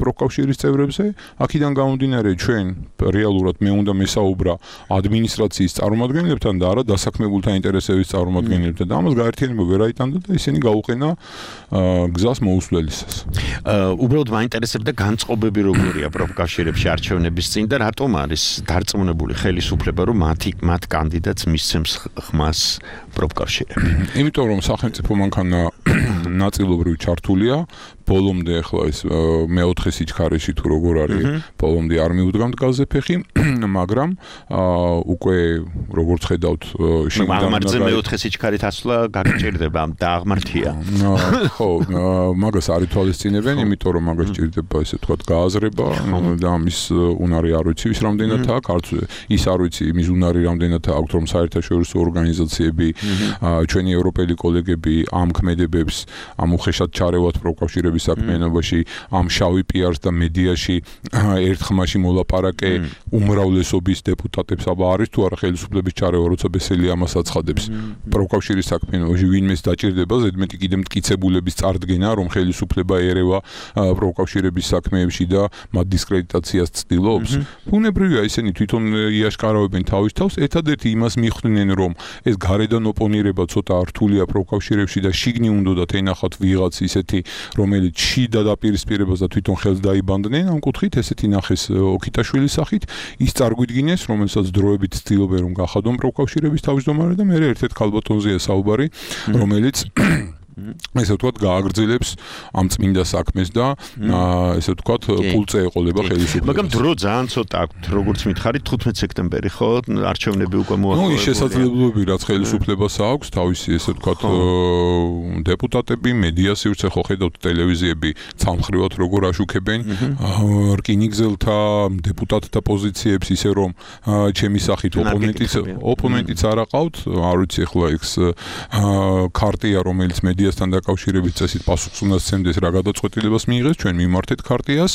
პროფკავშირის წევრებზე. აქედან გამომდინარე ჩვენ რეალურად მე უნდა მესაუბრა ადმინისტრაციის წარმომადგენლებთან და არა დასაქმებულთა ინტერესების წარმომადგენლებთან და ამას გაერთიანება ვერ აიტანდა და ისინი გაუყენა გზას მოუსვლელისას. უბრალოდ მაინტერესებდა განწყობები როგორია პროფკავშირებში არჩევნების წინ და რატომ არის დარწმუნებული ხელისუფლება, რომ მათ კანდიდატს მისცემს ხმას პროფკავშირები? იმიტომ რომ სახელმწიფო მანქანა ნაწილობრივ ჩართულია, ბოლომდე ახლა ეს მეოთხე სიჩქარეში თუ როგორ არის, ბოლომდე არ მიუდგამთ გაზზე ფეხი, მაგრამ უკვე როგორც ხედავთ შინაგანაზე მეოთხე სიჩქარით ასვლა გაგჭირდება და აღმართია. ხო, მაგას არ ითვალისწინებენ, იმიტომ რომ მაგას ჭირდება ესე ვთქვათ გააზრება და ამის უნარი არ ვიცი ვის რამდენად აქვს, არც ის არ ვიცი იმის უნარი რამდენად აქვს, რომ საერთაშორისო ორგანიზაციები, ჩვენი ევროპელი კოლეგები ამ ქმედებებს ამ უხეშად ჩარევათ პროფკავშირების საქმიანობაში, ამ შავი პიარს და მედიაში ერთხმაში მოლაპარაკე უმრავლესობის დეპუტატებს აბა არის თუ არა ხელისუფლების ჩარევა, როცა ბესელი ამას აცხადებს. პროფკავშირის საქმიანობაში ვინმეს დაჭირდება ზედმეტი კიდე მტკიცებულების წარდგენა, რომ ხელისუფლება ერევა პროფკავშირების საქმეებში და მათ დისკრედიტაციას ცდილობს. ბუნებრივია ისინი თვითონ იაშკარავებენ თავის თავს, ერთადერთი იმას მიხვდნენ, რომ ეს გარედან ოპონირება ცოტა რთულია პროფკავშირებში და შიგნი უნდათ ენახათ ვიღაც ისეთი, რომელიც შიდა დაპირისპირებას და თვითონ ხელს დაიბანდნენ, ამ კუთხით ესეთი ნახეს ოქიტაშვილის სახით, ის წარგვიდგინეს, რომელსაც დროებით ცდილობენ რომ გახადონ პროფკავშირების თავმჯდომარე და მე ერთ-ერთ ქალბატონზეა საუბარი, რომელიც ესე ვთქვათ, გააგრძელებს ამ წმინდა საქმეს და ესე ვთქვათ, პულზე ეყოლება ხელისუფლებას. მაგრამ დრო ძალიან ცოტა აქვს, როგორც მითხარით, 15 სექტემბერი, ხო? არჩევნები უკვე მოახლოებულია. ის შესაძლებლობები, რაც ხელისუფლებას აქვს, თავისი ესე ვთქვათ, დეპუტატები, მედია სივრცე ხო ხედავთ ტელევიზიები ცალმხრივად როგორ აშუქებენ რკინიგზელთა დეპუტატთა პოზიციებს, ისე რომ ჩემი სახით ოპონენტიც არ აყავთ, არ ვიცი ახლა ეს ქარტია, რომელიც მედიასთან დაკავშირებით წესით პასუხს უნდა სცემდეს, რა გადაწყვეტილებას მიიღეს, ჩვენ მიმართეთ ქარტიას.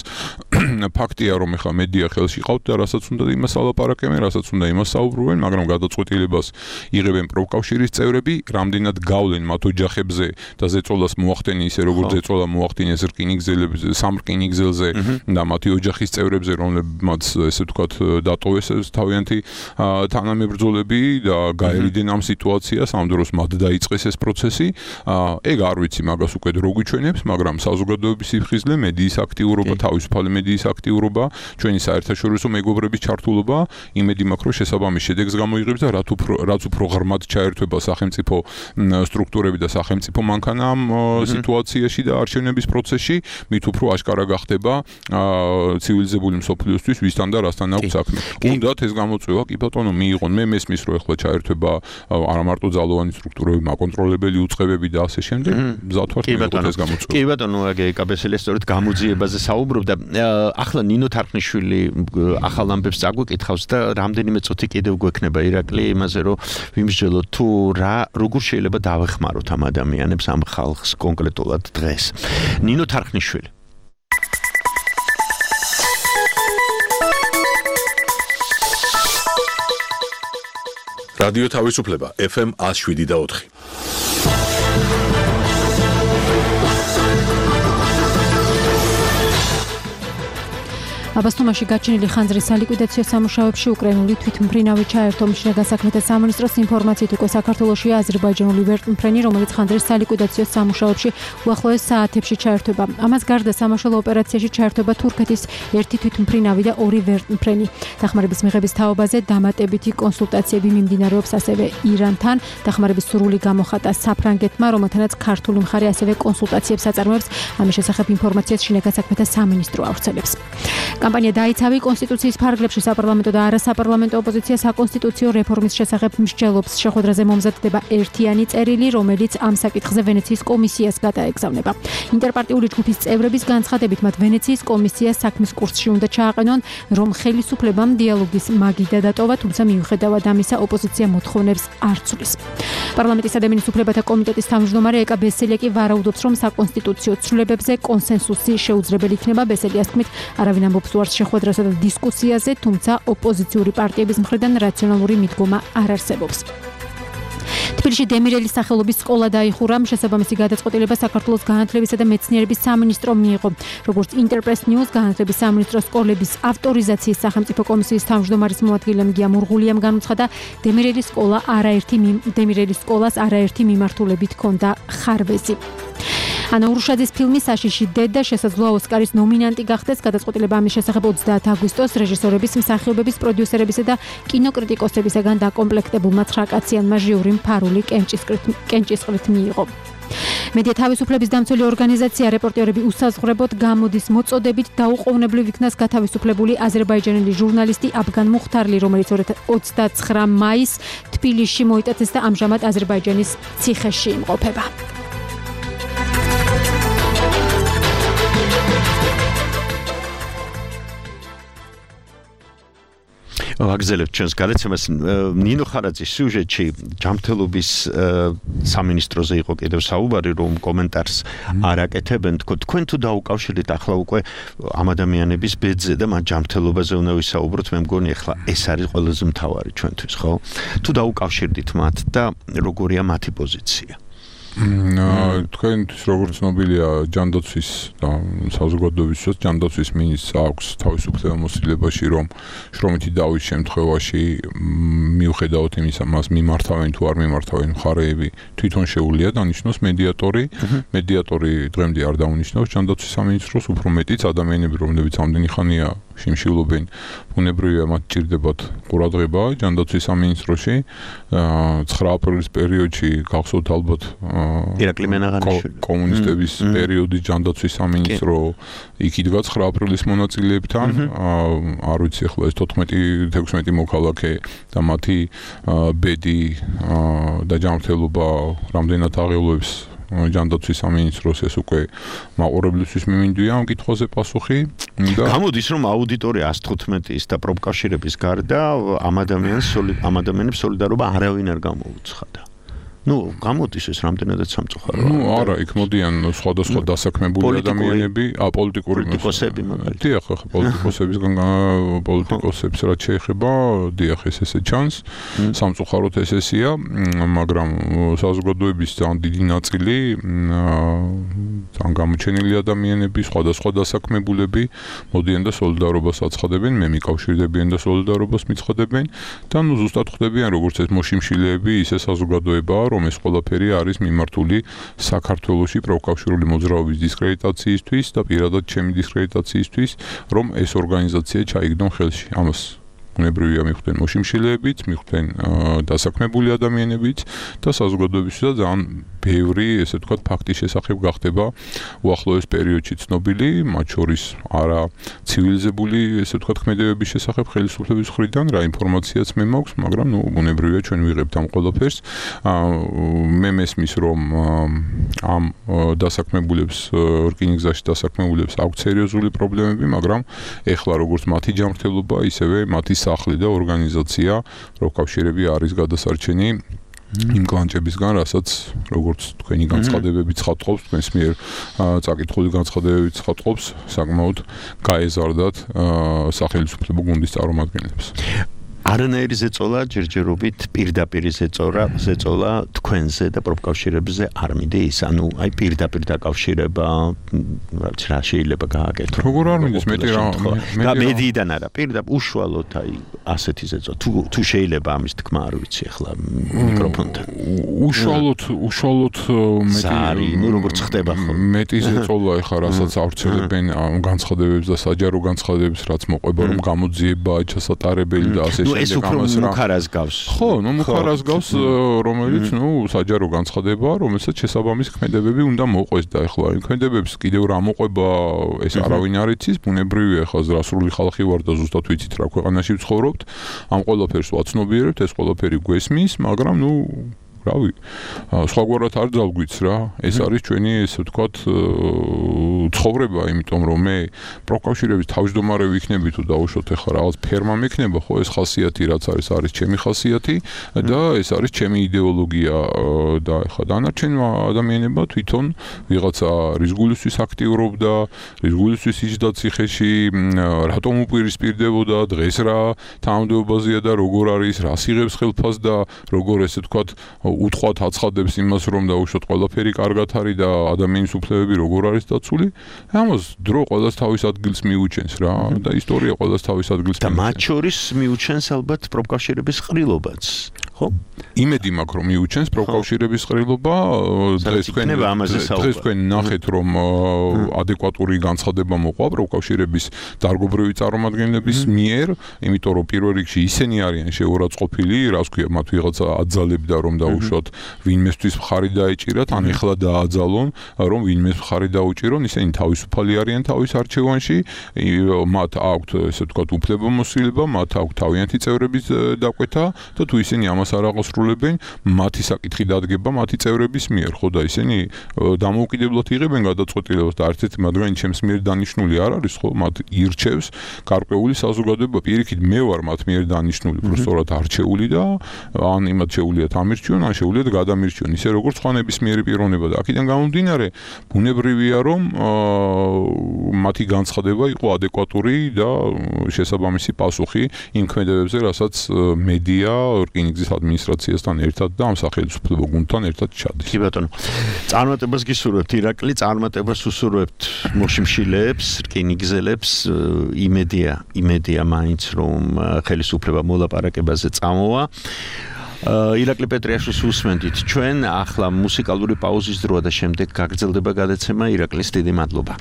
ფაქტია, რომ ახლა მედია ხელში ყავთ და რასაც უნდა იმას ალაპარაკებენ, რასაც უნდა იმას საუბრობენ, მაგრამ გადაწყვეტილებას იღებენ პროფკავშირის წევრები, რამდენად გავლენ მათ ოჯახებზე და ზეწოლას მოახდენენ ისე როგორც ზეწოლა მოახდინეს სამ რკინიგზელზე და მათი ოჯახის წევრებზე, რომლებმაც ესე ვთქვათ დატოვეს თავიანთი თანამებრძოლები და გაერიდენ ამ სიტუაციას, ამ დროს მათ დაიწყეს ეს პროცესი. ეგ არ ვიცი მაგას უკვე დრო გვიჩვენებს, მაგრამ საზოგადოების სიფხიზლე, მედიის აქტიურობა, თავისუფალი მედიის აქტიურობა, ჩვენი საერთაშორისო მეგობრების ჩართულობა იმედი მაქვს, რომ შესაბამის შედეგს გამოიღებს და რაც უფრო ღრმად ჩაერთვება სახელმწიფო სტრუქტურები და სახელმწიფო მანქანა ამ სიტუაციაში და არჩევნების პროცესში, მით უფრო აშკარა გახდება ცივილიზებული მსოფლიოსთვის ვისთან და რასთან აქვს საქმე. უნდათ ეს გამოწვევა კი ბატონო მიიღონ. მე მესმის, რომ ეხლა ჩაერთვება არა მარტო ძალოვანი სტრუქტურები, მაკონტროლებელი უწყებები და ასე შემდეგ. მზად ვარ მიიღოთ ეს გამოწვევა. კი ბატონო, კაბესელი სწორედ გამოძიებაზე საუბრობდა. ახლა ნინო თარხნიშვილი ახალ ამბებს წაგვიკითხავს და რამდენიმე წუთი კიდევ გვექნება ირაკლი იმაზე, რომ ვიმსჯელოთ თუ როგორ შეიძლება დავეხმაროთ ამ ადამიანებს, ამ ხალხს კონკრეტულად დღეს. ნინო თარხნიშვილი. რადიო თავისუფლება FM 107.4. აბასთუმანში გაჩენილი ხანძრის სალიკვიდაციო სამუშაოებში უკრაინული თვითმფრინავი ჩაერთო. მშრალ გასაქმეთა სამინისტროს ინფორმაციით უკვე საქართველოში აზერბაიჯანული ვერტმფრენი, რომელიც ხანძრის სალიკვიდაციო სამუშაოებში უახლოეს საათებში ჩაერთვება. ამას გარდა სამაშველო ოპერაციაში ჩაერთვება თურქეთის ერთი თვითმფრინავი და ორი ვერტმფრენი. დახმარების მიღების თაობაზე დამატებითი კონსულტაციები მიმდინარეობს ასევე ირანთან. დახმარების სურვილი გამოხატა საფრანგეთმა, რომელთანაც ქართული მხარე ასევე კონსულტაციებს აწარმოებს. ამის შესახებ ინფორმაციას შინაგან გასაქმეთა სამინისტრო ავრცელებს. კამპანია დაიცავი კონსტიტუციის ფარგლებში საპარლამენტო და არასაპარლამენტო ოპოზიცია საკონსტიტუციო რეფორმის შესახებ მსჯელობს. შეხვედრაზე მომზადდება ერთიანი წერილი, რომელიც ამ საკითხზე ვენეციის კომისიას გადაეგზავნება. ინტერპარტიული ჯგუფის წევრების განცხადებით, მათ ვენეციის კომისიას საქმის კურსში უნდა ჩააყენონ, რომ ხელისუფლებამ დიალოგის მაგიდა დატოვა, თუმცა მიუხედავად ამისა ოპოზიცია მოთხოვნებს არ ცვლის. პარლამენტის ადამიანის უფლებათა კომიტეტის თავმჯდომარე ეკა ბესელია ვარაუდობს, რომ საკონსტიტუციო ცვლილებებზე კონსენსუსი შეუძლებელი იქნება. ბესელიას თქმით, არავინ ამბობს უარს შეხვედრასა და დისკუსიაზე, თუმცა ოპოზიციური პარტიების მხრიდან რაციონალური მიდგომა არ არსებობს. თბილისში დემირელის სახელობის სკოლა დაიხურა. შესაბამისი გადაწყვეტილება საქართველოს განათლებისა და მეცნიერების სამინისტრომ მიიღო. როგორც ინტერპრეს ნიუს განათლების სამინისტროს სკოლების ავტორიზაციის სახელმწიფო კომისიის თავმჯდომარის მოადგილემ გია მურღულიამ განუცხადა, დემირელის სკოლას არაერთი მიმართულებით ჰქონდა ხარვეზი. ანა ურუშაძის ფილმი საშიში დედა შესაძლოა ოსკარის ნომინანტი გახდეს. გადაწყვეტილება ამის შესახებ 30 აგვისტოს რეჟისორების, მსახიობების, პროდიუსერებისა და კინოკრიტიკოსებისგან დაკომპლექტებულმა 9 კაციანმა ჟიურიმ ფარული კენჭისყრით მიიღო. მედია თავისუფლების დამცველი ორგანიზაცია რეპორტერები უსაზღვრებოდ გამოდის მოწოდებით დაუყოვნებლივ იქნას გათავისუფლებული აზერბაიჯანელი ჟურნალისტი აბგან მუხთარლი, რომელიც 29 მაისს თბილისში მოიტაცეს და ამჟამად აზერბაიჯანის ციხეში იმყოფება. ვაგზელებთ ჩვენს გადაცემას. ნინო ხარაძის სიუჟეტში ჯანმრთელობის სამინისტროზე იყო კიდევ საუბარი, რომ კომენტარს არ აკეთებენ. თქვენ თუ დაუკავშირდით ახლა უკვე ამ ადამიანების ბედზე და მათ ჯანმრთელობაზე უნდა ვისაუბროთ, მე მგონი ახლა ეს არის ყველაზე მთავარი ჩვენთვის, ხო? თუ დაუკავშირდით მათ და როგორია მათი პოზიცია? თქვენთვის როგორც ცნობილია, ჯანდაცვის და საზოგადოებისთვის ჯანდაცვის მინისტრს აქვს თავისუფლება მოსილებაში, რომ შრომითი დავის შემთხვევაში მიუხედავად იმისა, მას მიმართავენ თუ არ მიმართავენ მხარეები, თვითონ შეუძლია დანიშნოს მედიატორი. მედიატორი დღემდე არ დაუნიშნავს ჯანდაცვის სამინისტროს, უფრო მეტიც ადამიანები, რომლებიც ამდენი ხანია შიმშილობენ ბუნებრივია მათ ჭირდებათ ყურადღება ჯანდაცვის სამინისტროში 9 აპრილის პერიოდში გახსოვთ ალბათ ირაკლი მენაღანიშვილი კომუნისტების პერიოდის ჯანდაცვის სამინისტრო იქ იდგა 9 აპრილის მონაწილეებთან არ ვიცი ახლა ეს 14-16 მოქალაქე და მათი ბედი და ჯანმრთელობა რამდენად აღელვებს ჯანდაცვის სამინისტროს ეს უკვე მაყურებლისთვის მიმინდვია ამ კითხვაზე პასუხი და გამოდის რომ აუდიტორია 115-ის და პროფკავშირების გარდა ამ ადამიანებს სოლიდარობა არავინ არ გამოუცხადა. გამოდის ეს რამდენადაც სამწუხაროა. არა, იქ მოდიან სხვადასხვა დასაქმებული ადამიანები, პოლიტიკოსები მაგალითად. დიახ, პოლიტიკოსებს რაც შეეხება, დიახ, ესე ჩანს. სამწუხაროდ ესეა, მაგრამ საზოგადოების ძალიან დიდი ნაწილი ძალიან გამოჩენილი ადამიანები, სხვადასხვა დასაქმებულები მოდიან და სოლიდარობას აცხადებენ, მე მიკავშირდებიან და სოლიდარობას მიცხადებენ და ზუსტად ხვდებიან როგორც ეს მოშიმშილეები, ისე საზოგადოება რომ ეს ყველაფერი არის მიმართული საქართველოში პროფკავშირული მოძრაობის დისკრედიტაციისთვის და პირადად ჩემი დისკრედიტაციისთვის, რომ ეს ორგანიზაცია ჩაიგდონ ხელში. ამას ბუნებრივია მიხვდნენ მოშიმშილეებიც, მიხვდნენ დასაქმებული ადამიანებიც და საზოგადოებისთვის ძალიან ბევრი, ესე ვთქვათ, ფაქტის შესახებ გახდება უახლოეს პერიოდში ცნობილი, მათ შორის არა ცივილიზებული, ესე ვთქვათ, ქმედებების შესახებ ხელისუფლების მხრიდან რა ინფორმაციაც მე მაქვს, მაგრამ ბუნებრივია ჩვენ ვიღებთ ამ ყველაფერს. მე მესმის რომ ამ დასაქმებულებს რკინიგზაში დასაქმებულებს აქვს სერიოზული პრობლემები, მაგრამ ეხლა როგორც მათი ჯანმრთელობა, ისევე მათი სახლი და ორგანიზაცია პროფკავშირები არის გადასარჩენი იმ კლანჭებისგან, რასაც როგორც თქვენი განცხადებები ცხადყოფს, თქვენს მიერ წაკითხული განცხადებები ცხადყოფს, საკმაოდ გაეზარდათ სახელმწიფო გუნდის წარმომადგენლებს. არანაირი ზეწოლა ჯერჯერობით პირდაპირ ზეწოლა თქვენზე და პროფკავშირებზე არ მიდის, ანუ აი pirდაპირ დაკავშირება რა შეიძლება გააკეთო. როგორ არ მიდის მეტი რა მედიიდან არა, პირდაპირ უშუალოდ აი ასეთი ზეწოლა. თუ შეიძლება ამის თქმა არ ვიცი ახლა მიკროფონთან. უშუალოდ მეტი როგორც ხდება ხოლმე. მეტი ზეწოლა ეხლა რასაც ავრცელებენ განცხადებებს და საჯარო განცხადებებს, რაც მოყვება რომ გამოძიება ჩასატარებელი და ასე ეს უფრო მუხარას გავს. ხო, მუხარას გავს, რომელიც საჯარო განცხადება, რომელსაც შესაბამის ქმედებები უნდა მოყვეს და ეხლა იმ ქმედებებს კიდევ რა მოყვება, ეს არავინ არ იცის, ბუნებრივია ეხლა ზრასრული ხალხი ვარ და ზუსტად ვიცით რა ქვეყანაში ვცხოვრობთ. ამ ყველაფერს ვაცნობიერებთ, ეს ყველაფერი გვესმის, მაგრამ რავი, სხვაგვარად არ ძალგვიც რა. ეს არის ჩვენი, ესე ვთქვათ, ცხოვრება, იმიტომ რომ მე პროფკავშირების თავმჯდომარე ვიქნები თუ დაუშვოთ ახლა რაღაც ფერმა მექნება, ხო, ეს ხასიათი რაც არის ჩემი ხასიათი და ეს არის ჩემი იდეოლოგია და ახლა დანარჩენმა ადამიანებმა თვითონ ვიღაცა რის გულისთვის აქტიურობდა, რის გულისთვის იჯდა ციხეში, რატომ უპირისპირდებოდა, დღეს რა თანამდებობაზეა და როგორ არის, რას იღებს ხელფას და როგორ ესე ვთქვათ უთხოვთ აცხადებს იმას რომ დაუშვოთ ყველაფერი კარგად არის და ადამიანის უფლებები როგორ არის დაცული. ამას დრო ყველას თავის ადგილს მიუჩენს რა და ისტორია ყველას თავის ადგილს და მათ შორის მიუჩენს ალბათ პროფკავშირების ყრილობაც. ხო? იმედი მაქვს რომ მიუჩენს პროფკავშირების ყრილობა, დღეს თქვენ ნახეთ რომ ადეკვატური განცხადება მოყვა პროფკავშირების დარგობრივი წარმომადგენლების მიერ, იმიტომ რომ პირველ რიგში ისინი არიან შეურაცხყოფილი, რას ქვია, მათ ვიღაცა აძალებდა რომ დაუშვათ ვინმესთვის მხარი დაეჭირათ, ან ეხლა დააძალონ რომ ვინმეს მხარი დაუჭირონ, ისინი თავისუფალი არიან თავის არჩევანში, მათ აქვთ ესე ვთქვათ უფლებამოსილება, მათ აქვთ თავიანთი წევრების დაკვეთა და თუ ისინი ამას არ აღასრულებენ, მათი საკითხი დადგება მათი წევრების მიერ, ხო და ისინი დამოუკიდებლად იღებენ გადაწყვეტილებას და არც მათგანი ჩემს მიერ დანიშნული არ არის, ხო, მათ ირჩევს გარკვეული საზოგადოება, პირიქით მე ვარ მათ მიერ დანიშნული, პროსტორად არჩეული და ან იმათ შეუძლიათ ამირჩიონ, ან შეუძლიათ გადამირჩიონ, ისე როგორც სხვა ნებისმიერი პიროვნება და აქედან გამომდინარე, ბუნებრივია რომ მათი განცხადება იყო ადეკვატური და შესაბამისი პასუხი იმ ქმედებებზე, რასაც მედია რკინიგზის ადმინისტრაციასთან ერთად და ამ სახელმწიფო გუნდთან ერთად ჩადის. კი ბატონო. წარმატებას გისურვებთ ირაკლი, წარმატებას უსურვებთ მოშიმშილეებს, რკინიგზელებს, იმედია მაინც რომ ხელისუფლება მოლაპარაკებაზე წამოვა. ირაკლი პეტრიაშვილს უსმენთ ჩვენ, ახლა მუსიკალური პაუზის დროა და შემდეგ გაგრძელდება გადაცემა. ირაკლის დიდი მადლობა.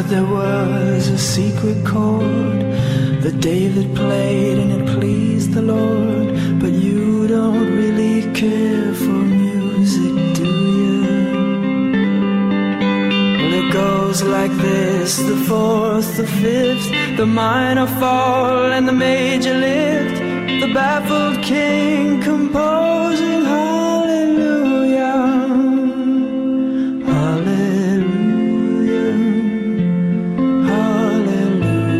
there was a secret chord that David played and it pleased the Lord. But you don't really care for music, do you? Well, it goes like this: the fourth, the fifth, the minor fall and the major lift, the baffled king composing hallelujah, hallelujah, hallelujah,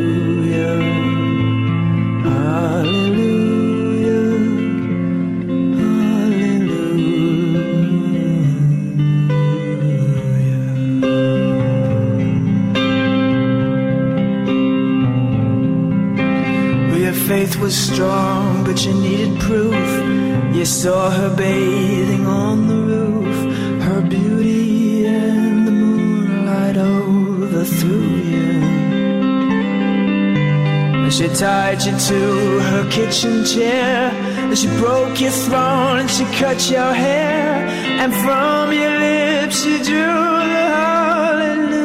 hallelujah, hallelujah. Well, your faith was strong, but you needed proof. You saw her bathing on the roof, her beauty and the moonlight overthrew you. And she tied you to her kitchen chair, and she broke your throne and she cut your hair, and from your lips she drew the hallelujah,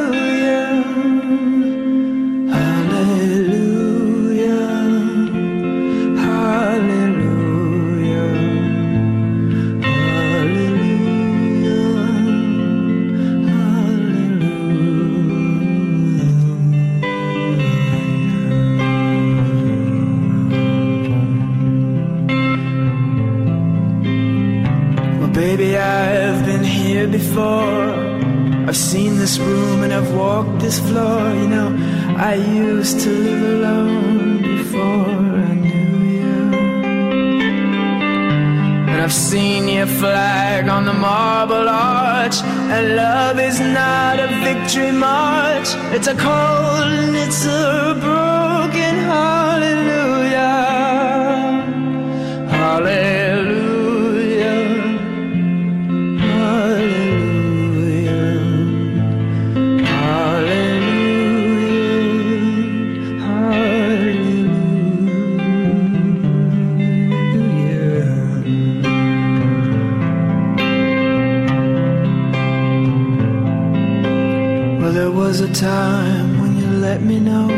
hallelujah, hallelujah, hallelujah. Well, baby, I've been here before. I've seen this room and I've walked this floor. You know, I used to live alone before I knew you. And I've seen your flag on the marble arch, and love is not a victory march. It's a cold and it's a broken hallelujah, hallelujah, hallelujah, hallelujah, hallelujah. Well, there was a time when you let me know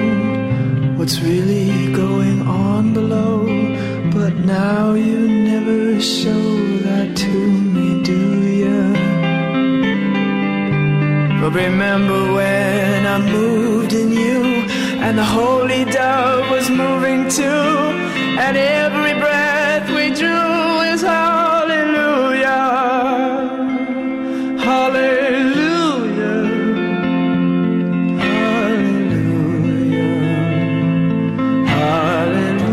what's really going on below, but now you never show that to me, do you? But remember when I moved in you, and the holy dove was moving too, and every breath we drew is hallelujah, hallelujah, hallelujah, hallelujah,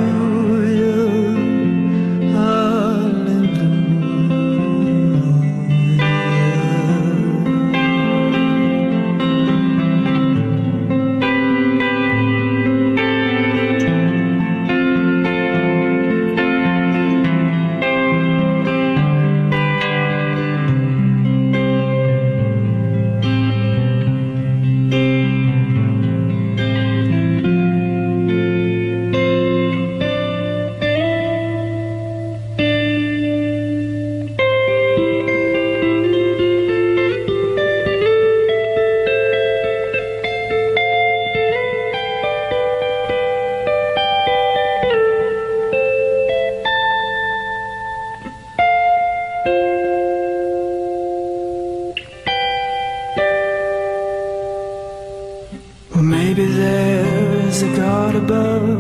Well, maybe there's a God above,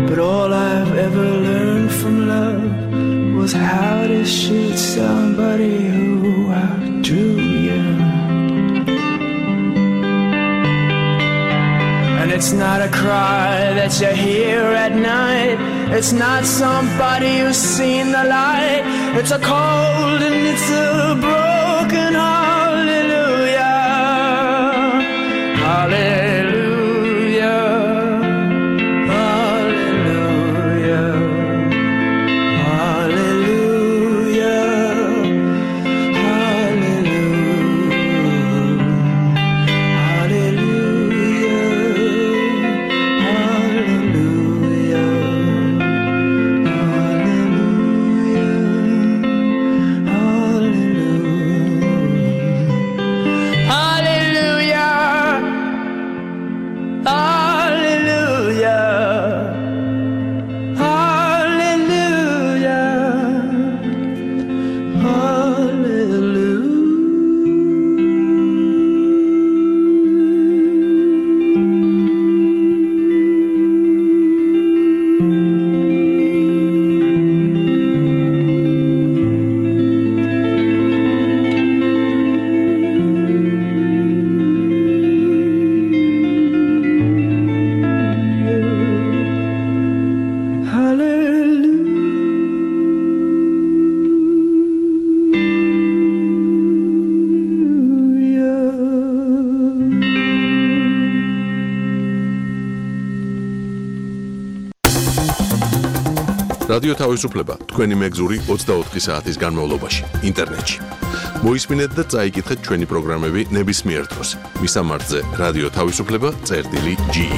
but all I've ever learned from love was how to shoot somebody who outdrew you. And it's not a cry that you hear at night, it's not somebody who's seen the light, it's a cold and it's a broken hallelujah, hallelujah, hallelujah, hallelujah, hallelujah, hallelujah, hallelujah. რადიო თავისუფლება თქვენი მეგზური 24 საათის განმავლობაში ინტერნეტში. მოისმინეთ და წაიკითხეთ ჩვენი პროგრამები ნებისმიერ დროს. მისამართზე რადიო თავისუფლება.ge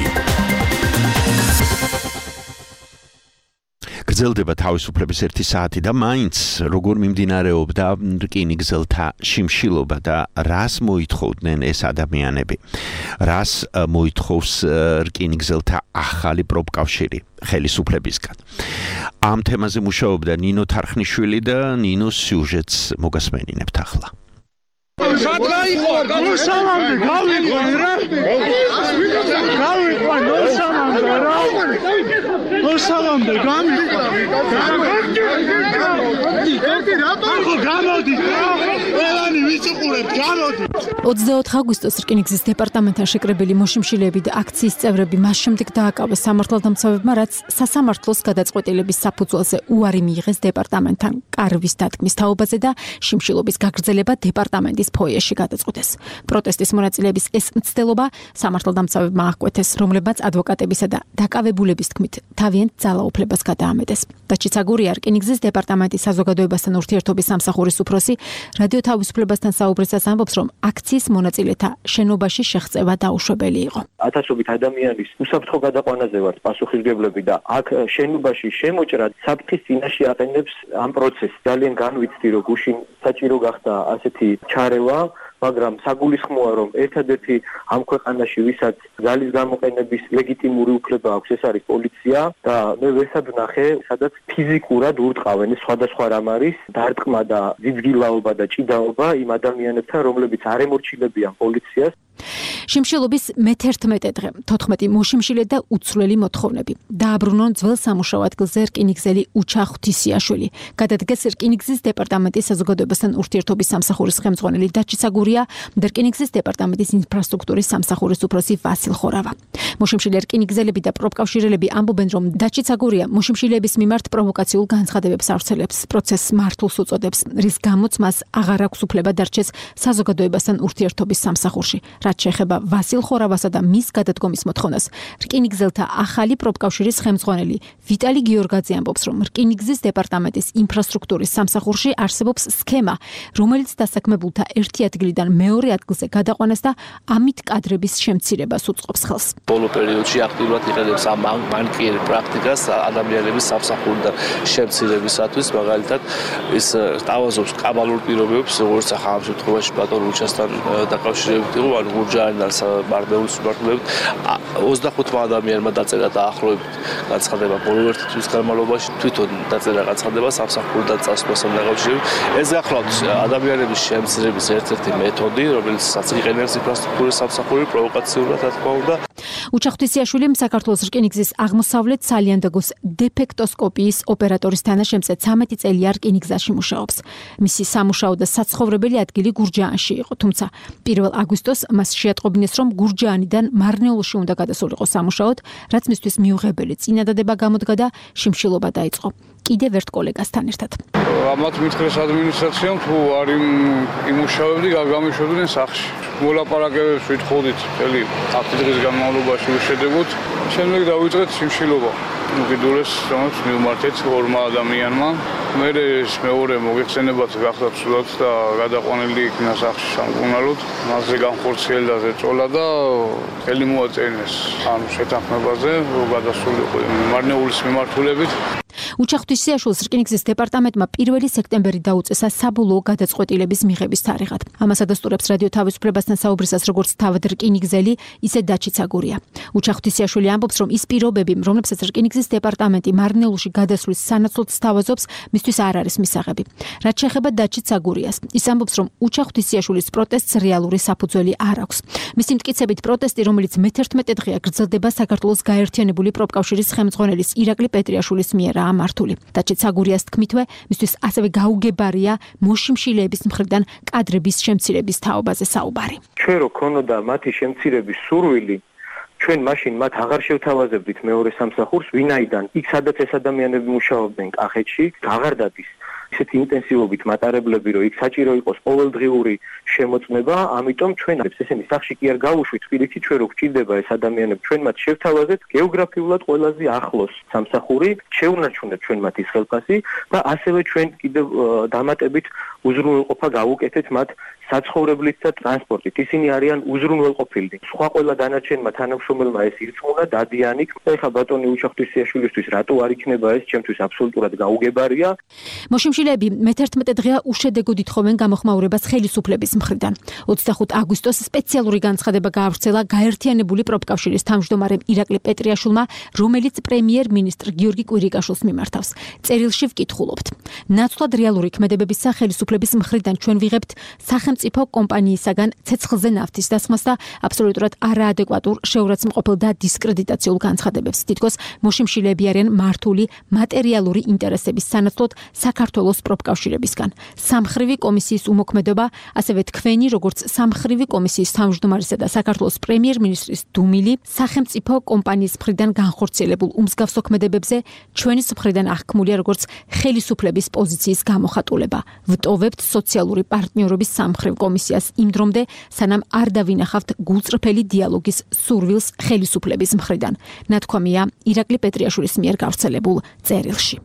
გრძელდება თავისუფლების 1 საათი და მაინც როგორ მიმდინარეობდა რკინიგზელთა შიმშილობა და რას მოითხოვდნენ ეს ადამიანები. რას მოითხოვს რკინიგზელთა ახალი პროფკავშირი ხელისუფლებისგან. ამ თემაზე მუშაობდა ნინო თარხნიშვილი და ნინოს სიუჟეტს მოგასმენინებთ ახლა. აგვისტოს რკინიგზის დეპარტამენტთან შეკრებილი მოშიმშილეები და აქციის წევრები მას შემდეგ დააკავეს სამართალდამცავებმა, რაც სასამართლოს გადაწყვეტილების საფუძველზე უარი მიიღეს დეპარტამენტთან კარვის დადგმის თაობაზე და შიმშილობის გაგრძელება დეპარტამენტის ფოიეში გადაწყვიტეს. პროტესტის მონაწილეების ეს მცდელობა სამართალდამცავებმა აღკვეთეს, რომლებაც ადვოკატებისა და დაკავებულების თქმით თავიანთ ძალაუფლებას გადაამეტეს. დაჩიცაგურია რკინიგზის დეპარტამენტის საზოგადოებასთან ურთიერთობის სამსახურის უფროსი რადიო თავისუფლებასთან საუბრისას ამბობს, რომ აქციის მონაწილეთა შენობაში შეღწევა დაუშვებელი იყო. ათასობით ადამიანის უსაფრთხო გადაყვანაზე ვართ პასუხისმგებლები და აქ შენობაში შემოჭრა საფრთხის წინაშე აყენებს ამ პროცესს. ძალიან განვიცდი, რომ გუშინ საჭირო გახდა ასეთი ჩარევა, მაგრამ საგულისხმოა, რომ ერთადერთი ამ ქვეყანაში, ვისაც ძალის გამოყენების ლეგიტიმური უფლება აქვს, ეს არის პოლიცია და მე ვესად ვნახე, სადაც ფიზიკურად ურტყავენ სხვადასხვა რამ არის დარტყმა და ძიძგილაობა და ჭიდაობა იმ ადამიანებთან, რომლებიც არ ემორჩილებიან პოლიციას. შიმშილობის მე-11 დღე 14 მოშიმშილე და უცვლელი მოთხოვნები. დააბრუნონ ძველ სამუშაო ადგილზე რკინიგზელი უჩა ღვთისიაშვილი. გადადგეს რკინიგზის დეპარტამენტის საზოგადოებასთან ურთიერთობის სამსახურის ხელმძღვანელი დაჩიცაგურია და რკინიგზის დეპარტამენტის ინფრასტრუქტურის სამსახურის უფროსი ვასილ ხორავა. მოშიმშილე რკინიგზელები და პროფკავშირელები ამბობენ, რომ დაჩიცაგურია მოშიმშილეების მიმართ პროვოკაციულ განცხადებებს ავრცელებს, პროცესს მართულს უწოდებს, რის გამოც მას აღარ აქვს უფლება დარჩეს საზოგადოებასთან ურთიერთობის სამსახურში. რაც შეეხება ვასილ ხორავასა და მის გადადგომის მოთხოვნას, რკინიგზელთა ახალი პროფკავშირის ხელმძღვანელი ვიტალი გიორგაძე ამბობს, რომ რკინიგზის დეპარტამენტის ინფრასტრუქტურის სამსახურში არსებობს სქემა, რომელიც დასაქმებულთა ერთი ადგილიდან მეორე ადგილზე გადაყვანას და ამით კადრების შემცირებას უწყობს ხელს. ბოლო პერიოდში აქტიურად იყენებს ამ მანკიერ პრაქტიკას ადამიანების სამსახურიდან შემცირებისათვის, მაგალითად ის თავაზობს კაბალურ პირობებს, როგორც ახლა ამ შემთხვევაში ბატონ უჩასთან დაკავშირებით იყო, ანუ გურჯაანიდან მარტოულს მიმართულებით 25 ადამიანმა დაწერა დაახლოებით განცხადება ბოლო ერთი თვის განმავლობაში, თვითონ დაწერა განცხადება სამსახურიდან წასვლასთან დაკავშირებით. ეს გახლავთ ადამიანების შემცირების ერთ-ერთი მეთოდი, რომელსაც იყენებს ინფრასტრუქტურის სამსახური პროვოკაციულად, რა თქმა უნდა. უჩა ღვთისიაშვილი საქართველოს რკინიგზის აღმოსავლეთ სალიანდაგოს დეფექტოსკოპიის ოპერატორის თანაშემწე 13 წელია რკინიგზაში მუშაობს. მისი სამუშაო და საცხოვრებელი ადგილი გურჯაანში იყო, თუმცა 1 აგვისტოს მას შეატყობინეს, რომ გურჯაანიდან მარნეულში უნდა გადასულიყო სამუშაოდ, რაც მისთვის მიუღებელი წინადადება გამოდგა და შიმშილობა დაიწყო. კიდევ ერთ კოლეგასთან ერთად. ამათ მითხრეს ადმინისტრაციამ, თუ არ იმუშავებდი, გამიშვებდნენ სახლში. მოლაპარაკებებს ვითხოვდით მთელი 10 დღის განმავლობაში უშედეგოდ. შემდეგ დავიწყეთ შიმშილობა. უკიდურეს რომელიც მივმართეთ ორმა ადამიანმა. მე ეს მეორე მოგეხსენებათ გახდა ცუდად და გადაყვანილი იქნა სახლში სამკურნალოდ. მასზე განხორციელდა ზეწოლა და ხელი მოაწენეს ამ შეთანხმებაზე, რომ გადასულიყო მარნეულის მიმართულებით. უჩა ღვთისიაშვილს რკინიგზის დეპარტამენტმა 1 სექტემბერი დაუწესა საბოლოო გადაწყვეტილების მიღების თარიღად. ამას ადასტურებს რადიო თავისუფლებასთან საუბრისას როგორც თავად რკინიგზელი, ისე დაჩიცაგურია. უჩა ღვთისიაშვილი ამბობს, რომ ის პირობები, რომლებსაც რკინიგზის დეპარტამენტი მარნეულში გადასვლის სანაცვლოდ სთავაზობს, მისთვის არ არის მისაღები. რაც შეეხება დაჩიცაგურიას, ის ამბობს, რომ უჩა ღვთისიაშვილის პროტესტს რეალური საფუძველი არ აქვს. მისი მტკიცებით პროტესტი, რომელიც მე-11 დღეა გრძელდება საქართველოს გაერთიანებული პროფკავშირის ხელმძღვანელის ირაკლი პეტრიაშვილის მიერაა მართული. დაჩიცაგურიას თქმითვე, მისთვის ასევე გაუგებარია მოშიმშილეების მხრიდან კადრების შემცირების თაობაზე საუბარი. ჩვენ რო ქონოდა მათი შემცირების სურვილი, ჩვენ მაშინ მათ აღარ შევთავაზებდით მეორე სამსახურს, ვინაიდან იქ სადაც ეს ადამიანები მუშაობდნენ კახეთში, აღარ დადის ისეთი ინტენსივობით მატარებლები, რომ იქ საჭირო იყოს ყოველდღიური შემოწმება, ამიტომ ჩვენ ესენი სახში კი არ გავუშვით, თბილისში ჩვენ რო გვჭირდება ეს ადამიანები, ჩვენ მათ შევთავაზეთ გეოგრაფიულად ყველაზე ახლოს სამსახური, შეუნარჩუნეთ ჩვენ მათ ის ხელფასი და ასევე ჩვენ კიდევ დამატებით უზრუნველყოფა გავუკეთეთ მათ საცხოვრებლით და ტრანსპორტით. ისინი არიან უზრუნველყოფილნი. სხვა ყველა დანარჩენმა თანამშრომელმა ეს ირწმუნა, დადიანი. ეხლა ბატონი უჩახტვისიაშვილისთვის რატო არ იქნება ეს ჩემთვის აბსოლუტურად გაუგებარია. მოშიმშილეები მე-11 დღეა უშედეგოდ ითხოვენ გამოხმაურებას ხელისუფლების მხრიდან. 25 აგვისტოს სპეციალური განცხადება გაავრცელა გაერთიანებული პროფკავშირის თავმჯდომარემ ირაკლი პეტრიაშვილმა, რომელიც პრემიერ-მინისტრ გიორგი კვირიკაშვილს მიმართავს. წერილში ვკითხულობთ: ნაცვლად რეალური ქმედებების სახელმწიფოების მხრიდან ჩვენ ვიღებთ სახელმწიფო კომპანიისაგან ცეცხლზე ნავთის დასხმას და აბსოლუტურად არაადეკვატურ, შეურაცხმყოფილ და დისკრედიტაციულ განცხადებებს. თითქოს მოშიმშილეები არიან მართული მატერიალური ინტერესების სანაცვლოდ საქართველოს პროფკავშირებისგან. სამხრივი კომისიის უმოქმედობა, ასევე თქვენი, როგორც სამხრივი კომისიის თავმჯდომარისა და საქართველოს პრემიერ-მინისტრის დუმილი, სახელმწიფო კომპანიის მხრიდან განხორციელებულ უმსგავსო ქმედებებზე ჩვენის მხრიდან აღქმულია როგორც ხელისუფლების პოზიციის გამოხატულება. ვტოვებთ სოციალური პარტნიორობის სამხრივ კომისიას იმ დრომდე, სანამ არ დავინახავთ გულწრფელი დიალოგის სურვილს ხელისუფლების მხრიდან. ნათქვამია ირაკლი პეტრიაშვილის მიერ გავრცელებულ წერილში.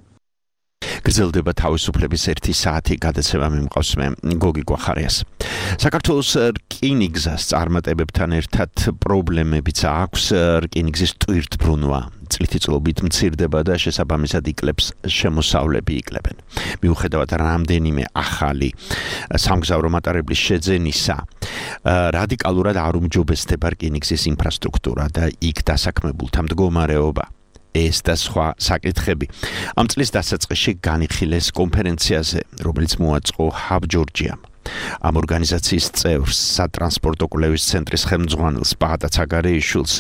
გრძელდება თავისუფლების 1 საათი გადაცემა მიმყავს მე გოგი გვახარიას. საქართველოს რკინიგზას წარმატებებთან ერთად პრობლემებიც აქვს. რკინიგზის ტვირთბრუნვა წლითიწლობით მცირდება და შესაბამისად იკლებს შემოსავლები იკლებენ. მიუხედავად რამდენიმე ახალი სამგზავრო მატარებლის შეძენისა, რადიკალურად არ უმჯობესდება რკინიგზის ინფრასტრუქტურა და იქ დასაქმებულთა მდგომარეობა. ეს და სხვა საკითხები ამ წლის დასაწყისში განიხილეს კონფერენციაზე, რომელიც მოაწყო ჰაბ ჯორჯიამ. ამ ორგანიზაციის წევრს, სატრანსპორტო კვლევის ცენტრის ხელმძღვანელს ბაღდა ცაგარეიშვილს,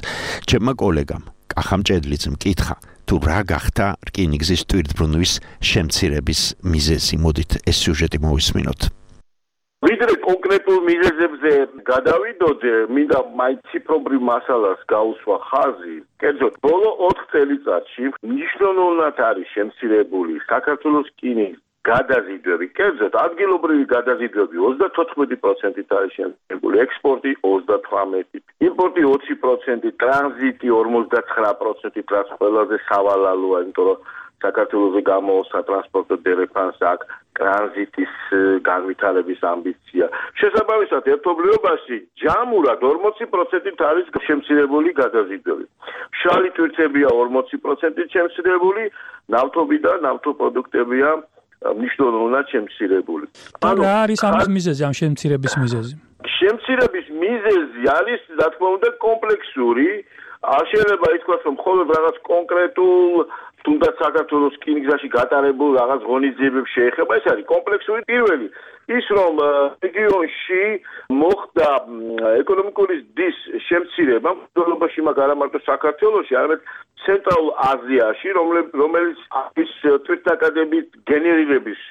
ჩემმა კოლეგამ კახამ ჭედლიძემ კითხა, თუ რა გახდა რკინიგზის ტვირთბრუნვის შემცირების მიზეზი. მოდით ეს სიუჟეტი მოვისმინოთ. ვიდრე კონკრეტულ მიზეზებზე გადავიდოდე, მინდა მაინც ციფრობრივ მასალას გაუსვა ხაზი. კერძოდ, ბოლო 4 წელიწადში მნიშვნელოვნად არის შემცირებული საქართველოს რკინიგზის გადაზიდვები. კერძოდ, ადგილობრივი გადაზიდვები 34%-ით არის შემცირებული, ექსპორტი 38%, იმპორტი 20%, ტრანზიტი 59%-ით, რაც ყველაზე სავალალოა, იმიტომ რომ საქართველოსზე გამოვა სატრანსპორტო დერეფანს აქ ტრანზიტის განვითარების ამბიცია. შესაბამისად, ერთობლიობაში ჯამურად 40%-ით არის შემცირებული გადაზიდვები. მშრალი ტვირთებია 40%-ით შემცირებული, ნავთობი და ნავთობპროდუქტებია მნიშვნელოვნად შემცირებული. რა არის ამის მიზეზი, ამ შემცირების მიზეზი? შემცირების მიზეზი არის, რა თქმა უნდა, კომპლექსური. არ შეიძლება ითქვას, რომ მხოლოდ რაღაც კონკრეტულ თუნდაც საქართველოს რკინიგზაში გატარებულ რაღაც ღონისძიებებს შეეხება, ეს არის კომპლექსური. პირველი ის, რომ რეგიონში მოხდა ეკონომიკური ზრდის შემცირება, მსოფლიოში მაგრამ არა მარტო საქართველოში, არამედ ცენტრალურ აზიაში, რომელიც არის თვითნაკადების გენერირების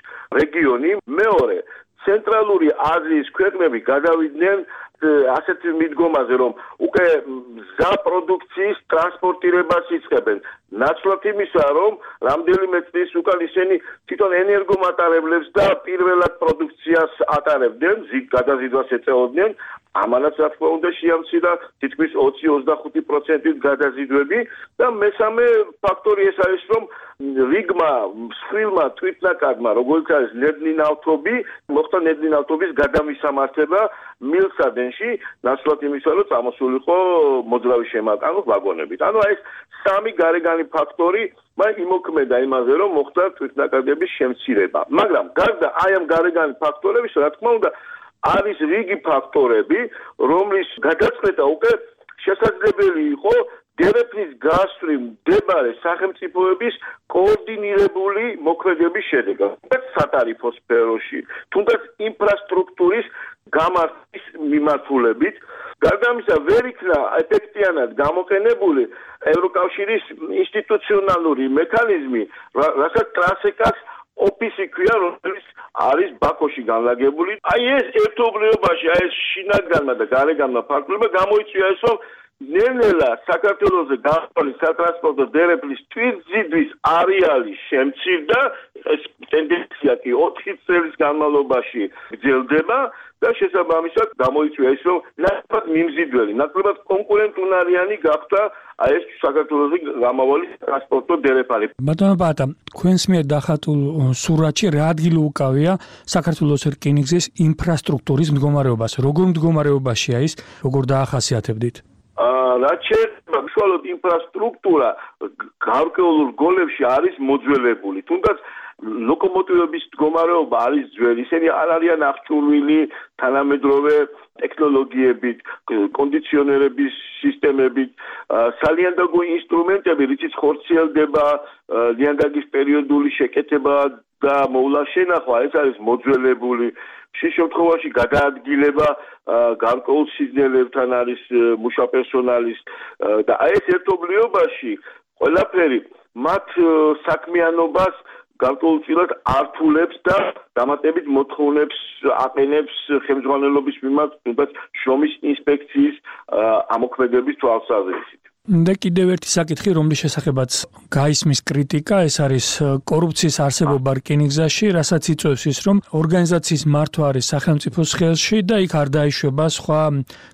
რეგიონი. მეორე, ცენტრალური აზიის ქვეყნები გადავიდნენ ასეთ მიდგომაზე, რომ უკვე მზა პროდუქციის ტრანსპორტირებას იწყებენ. ნაცვლად იმისა, რომ რამდენიმე წლის უკან ისინი თვითონ ენერგომატარებლებს და პირველად პროდუქციას ატარებდნენ, გადაზიდვას ეწეოდნენ. ამანაც რა თქმა უნდა შეამცირა თითქმის 20-25%-ით გადაზიდვები და მესამე ფაქტორი ეს არის, რომ რიგმა მსხვილმა თვითნაკადმა, როგორც არის ნედლი ნავთობი, მოხდა ნედლი ნავთობის გადამისამართება მილსადენში, ნაცვლად იმისა, რომ წამოსულიყო მოძრავი შემატანო ვაგონებით. ანუ ეს სამი გარეგანი ფაქტორი იმოქმედა იმაზე, რომ მოხდა თვითნაკადების შემცირება. მაგრამ გარდა აი ამ გარეგანი ფაქტორების, რა თქმა უნდა, არის რიგი ფაქტორები, რომლის გადაწყვეტა უკვე შესაძლებელი იყო დერეფნის გასწვრივ მდებარე სახელმწიფოების კოორდინირებული მოქმედების შედეგად, სატარიფო სფეროში, თუნდაც ინფრასტრუქტურის გამართვის მიმართულებით. გარდა ამისა, ვერ იქნა ეფექტიანად გამოყენებული ევროკავშირის ინსტიტუციონალური მექანიზმი, რასაც ტრანსეკას ოფისი ქვია, რომელიც არის ბაქოში განლაგებული. აი ეს ერთობლიობაში, აი ეს შინაგანმა და გარეგანმა ფაქტორებმა გამოიწვია ეს, რომ ნელ-ნელა საქართველოზე გაყოლი სატრანსპორტო დერეფლის თვითზიდვის არეალი შემცირდა, ეს ტენდენცია კი 4 წლის განმავლობაში გრძელდება და შესაბამისად გამოიწვია ის, რომ ნაკლებად მიმზიდველი, ნაკლებად კონკურენტუნარიანი გახდა ეს საქართველოზე გამავალი ტრანსპორტო დერეფალი. ბატონო ბატა, თქვენს მიერ დახატულ სურათში რა ადგილი უკავია საქართველოს რკინიგზის ინფრასტრუქტურის მდგომარეობას? როგორ მდგომარეობაშია ის, როგორ დაახასიათებდით? რაც შეეხება უშუალოდ ინფრასტრუქტურა გარკვეულ რგოლებში არის მოძველებული, თუნდაც ლოკომოტივების მდგომარეობა არის ძველი, ისინი არ არიან აღჭურვილი თანამედროვე ტექნოლოგიებით, კონდიციონერების სისტემებით, სალიანდაგო ინსტრუმენტები, რითიც ხორციელდება ლიანდაგის პერიოდული შეკეთება და მოვლა შენახვა, ეს არის მოძველებული. შენ შემთხვევაში გადაადგილება გარკვეულ სიზნელებთან არის მუშა პერსონალის და ეს ერთობლიობაში ყველაფერი მათ საქმიანობას გარკვეულწილად ართულებს და დამატებით მოთხოვნებს აყენებს ხელმძღვანელობის მიმართ თუნდაც შრომის ინსპექციის ამოქმედების თვალსაზრისით. და კიდევ ერთი საკითხი, რომლის შესახებაც გაისმის კრიტიკა, ეს არის კორუფციის არსებობა რკინიგზაში, რასაც იწვევს ის, რომ ორგანიზაციის მართვა არის სახელმწიფოს ხელში და იქ არ დაიშვება სხვა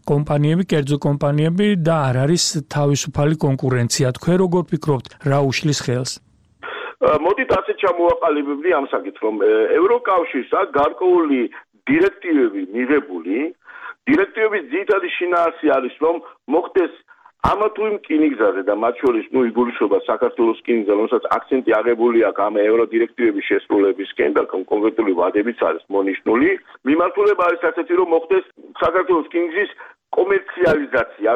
კომპანიები, კერძო კომპანიები და არ არის თავისუფალი კონკურენცია. თქვენ როგორ ფიქრობთ, რა უშლის ხელს? მოდით ასე ჩამოვაყალიბებდი ამ საკითხს, რომ ევროკავშირს აქვს გარკვეული დირექტივები მიღებული. დირექტივების ძირითადი შინაარსი არის, რომ მოხდეს ამა თუ იმ რკინიგზაზე და მათ შორის იგულისხმება საქართველოს რკინიგზა, რომელსაც აქცენტი აღებული აქვს ამ ევროდირექტივების შესრულებისკენ და კონკრეტული ვადებიც არის მონიშნული. მიმართულება არის ასეთი, რომ მოხდეს საქართველოს რკინიგზის კომერციალიზაცია,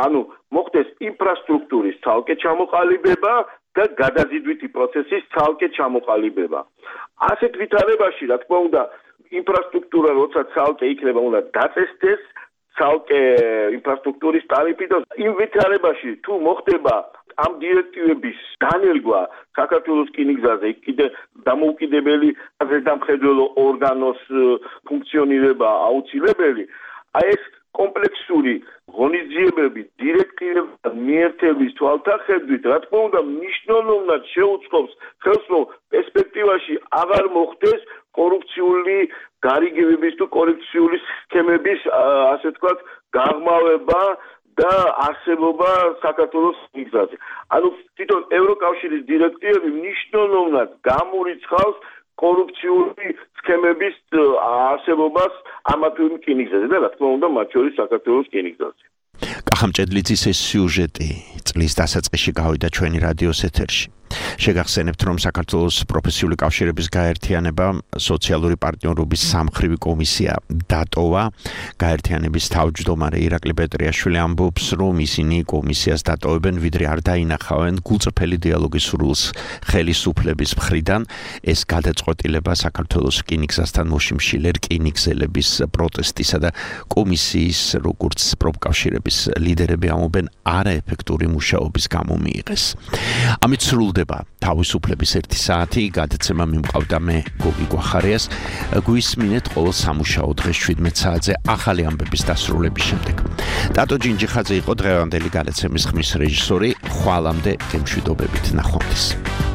ანუ მოხდეს ინფრასტრუქტურის ცალკე ჩამოყალიბება და გადაზიდვითი პროცესის ცალკე ჩამოყალიბება. ასეთ ვითარებაში, რა თქმა უნდა, ინფრასტრუქტურა როცა ცალკე იქნება, უნდა დაწესდეს ცალკე ინფრასტრუქტურის ტარიფი და იმ ვითარებაში თუ მოხდება ამ დირექტივების დანერგვა საქართველოს რკინიგზაზე, კიდე დამოუკიდებელი ზედამხედველო ორგანოს ფუნქციონირება აუცილებელი, ეს კომპლექსური ღონისძიებები დირექტივების მიერთების თვალსაჩინით, რა თქმა უნდა, მნიშვნელოვნად შეუწყობს ხელს, რომ პერსპექტივაში აღარ მოხდეს კორუფციული გარიგებების თუ კორუფციული სქემების, ასე ვთქვათ, გაღრმავება და არსებობა საქართველოს რკინიგზაზე. ანუ თვითონ ევროკავშირის დირექტივები მნიშვნელოვნად გამორიცხავს კორუფციული სქემების არსებობას ამა თუ იმ რკინიგზაზე და რა თქმა უნდა, მათ შორის საქართველოს რკინიგზაზე. კახამჭედლიძის ეს სიუჟეტი წლის დასაწყისში გავიდა ჩვენი რადიოს ეთერში. შეგახსენებთ, რომ საქართველოს პროფესიული კავშირების გაერთიანება სოციალური პარტნიორობის სამმხრივი კომისია დატოვა. გაერთიანების თავმჯდომარე ირაკლი პეტრიაშვილი ამბობს, რომ ისინი კომისიას დატოვებენ, ვიდრე არ დაინახავენ გულწრფელი დიალოგის სურვილს ხელისუფლების მხრიდან. ეს გადაწყვეტილება საქართველოს რკინიგზასთან მოშიმშილე რკინიგზელების პროტესტისა და კომისიის, როგორც პროფკავშირების ლიდერები ამობენ, არაეფექტური მუშაობის გამო მიიღეს. ამით სრულდება თავისუფლების 1 საათი, გადაცემა მიმყავდა მე გოგი გვახარიას. გვისმინეთ ყოველ სამუშაო დღეს 17 საათზე ახალი ამბების დასრულების შემდეგ. ტატო ჯინჯიხაძე იყო დღევანდელი გადაცემის ხმის რეჟისორი. ხვალამდე გემშვიდობებით, ნახვამდის.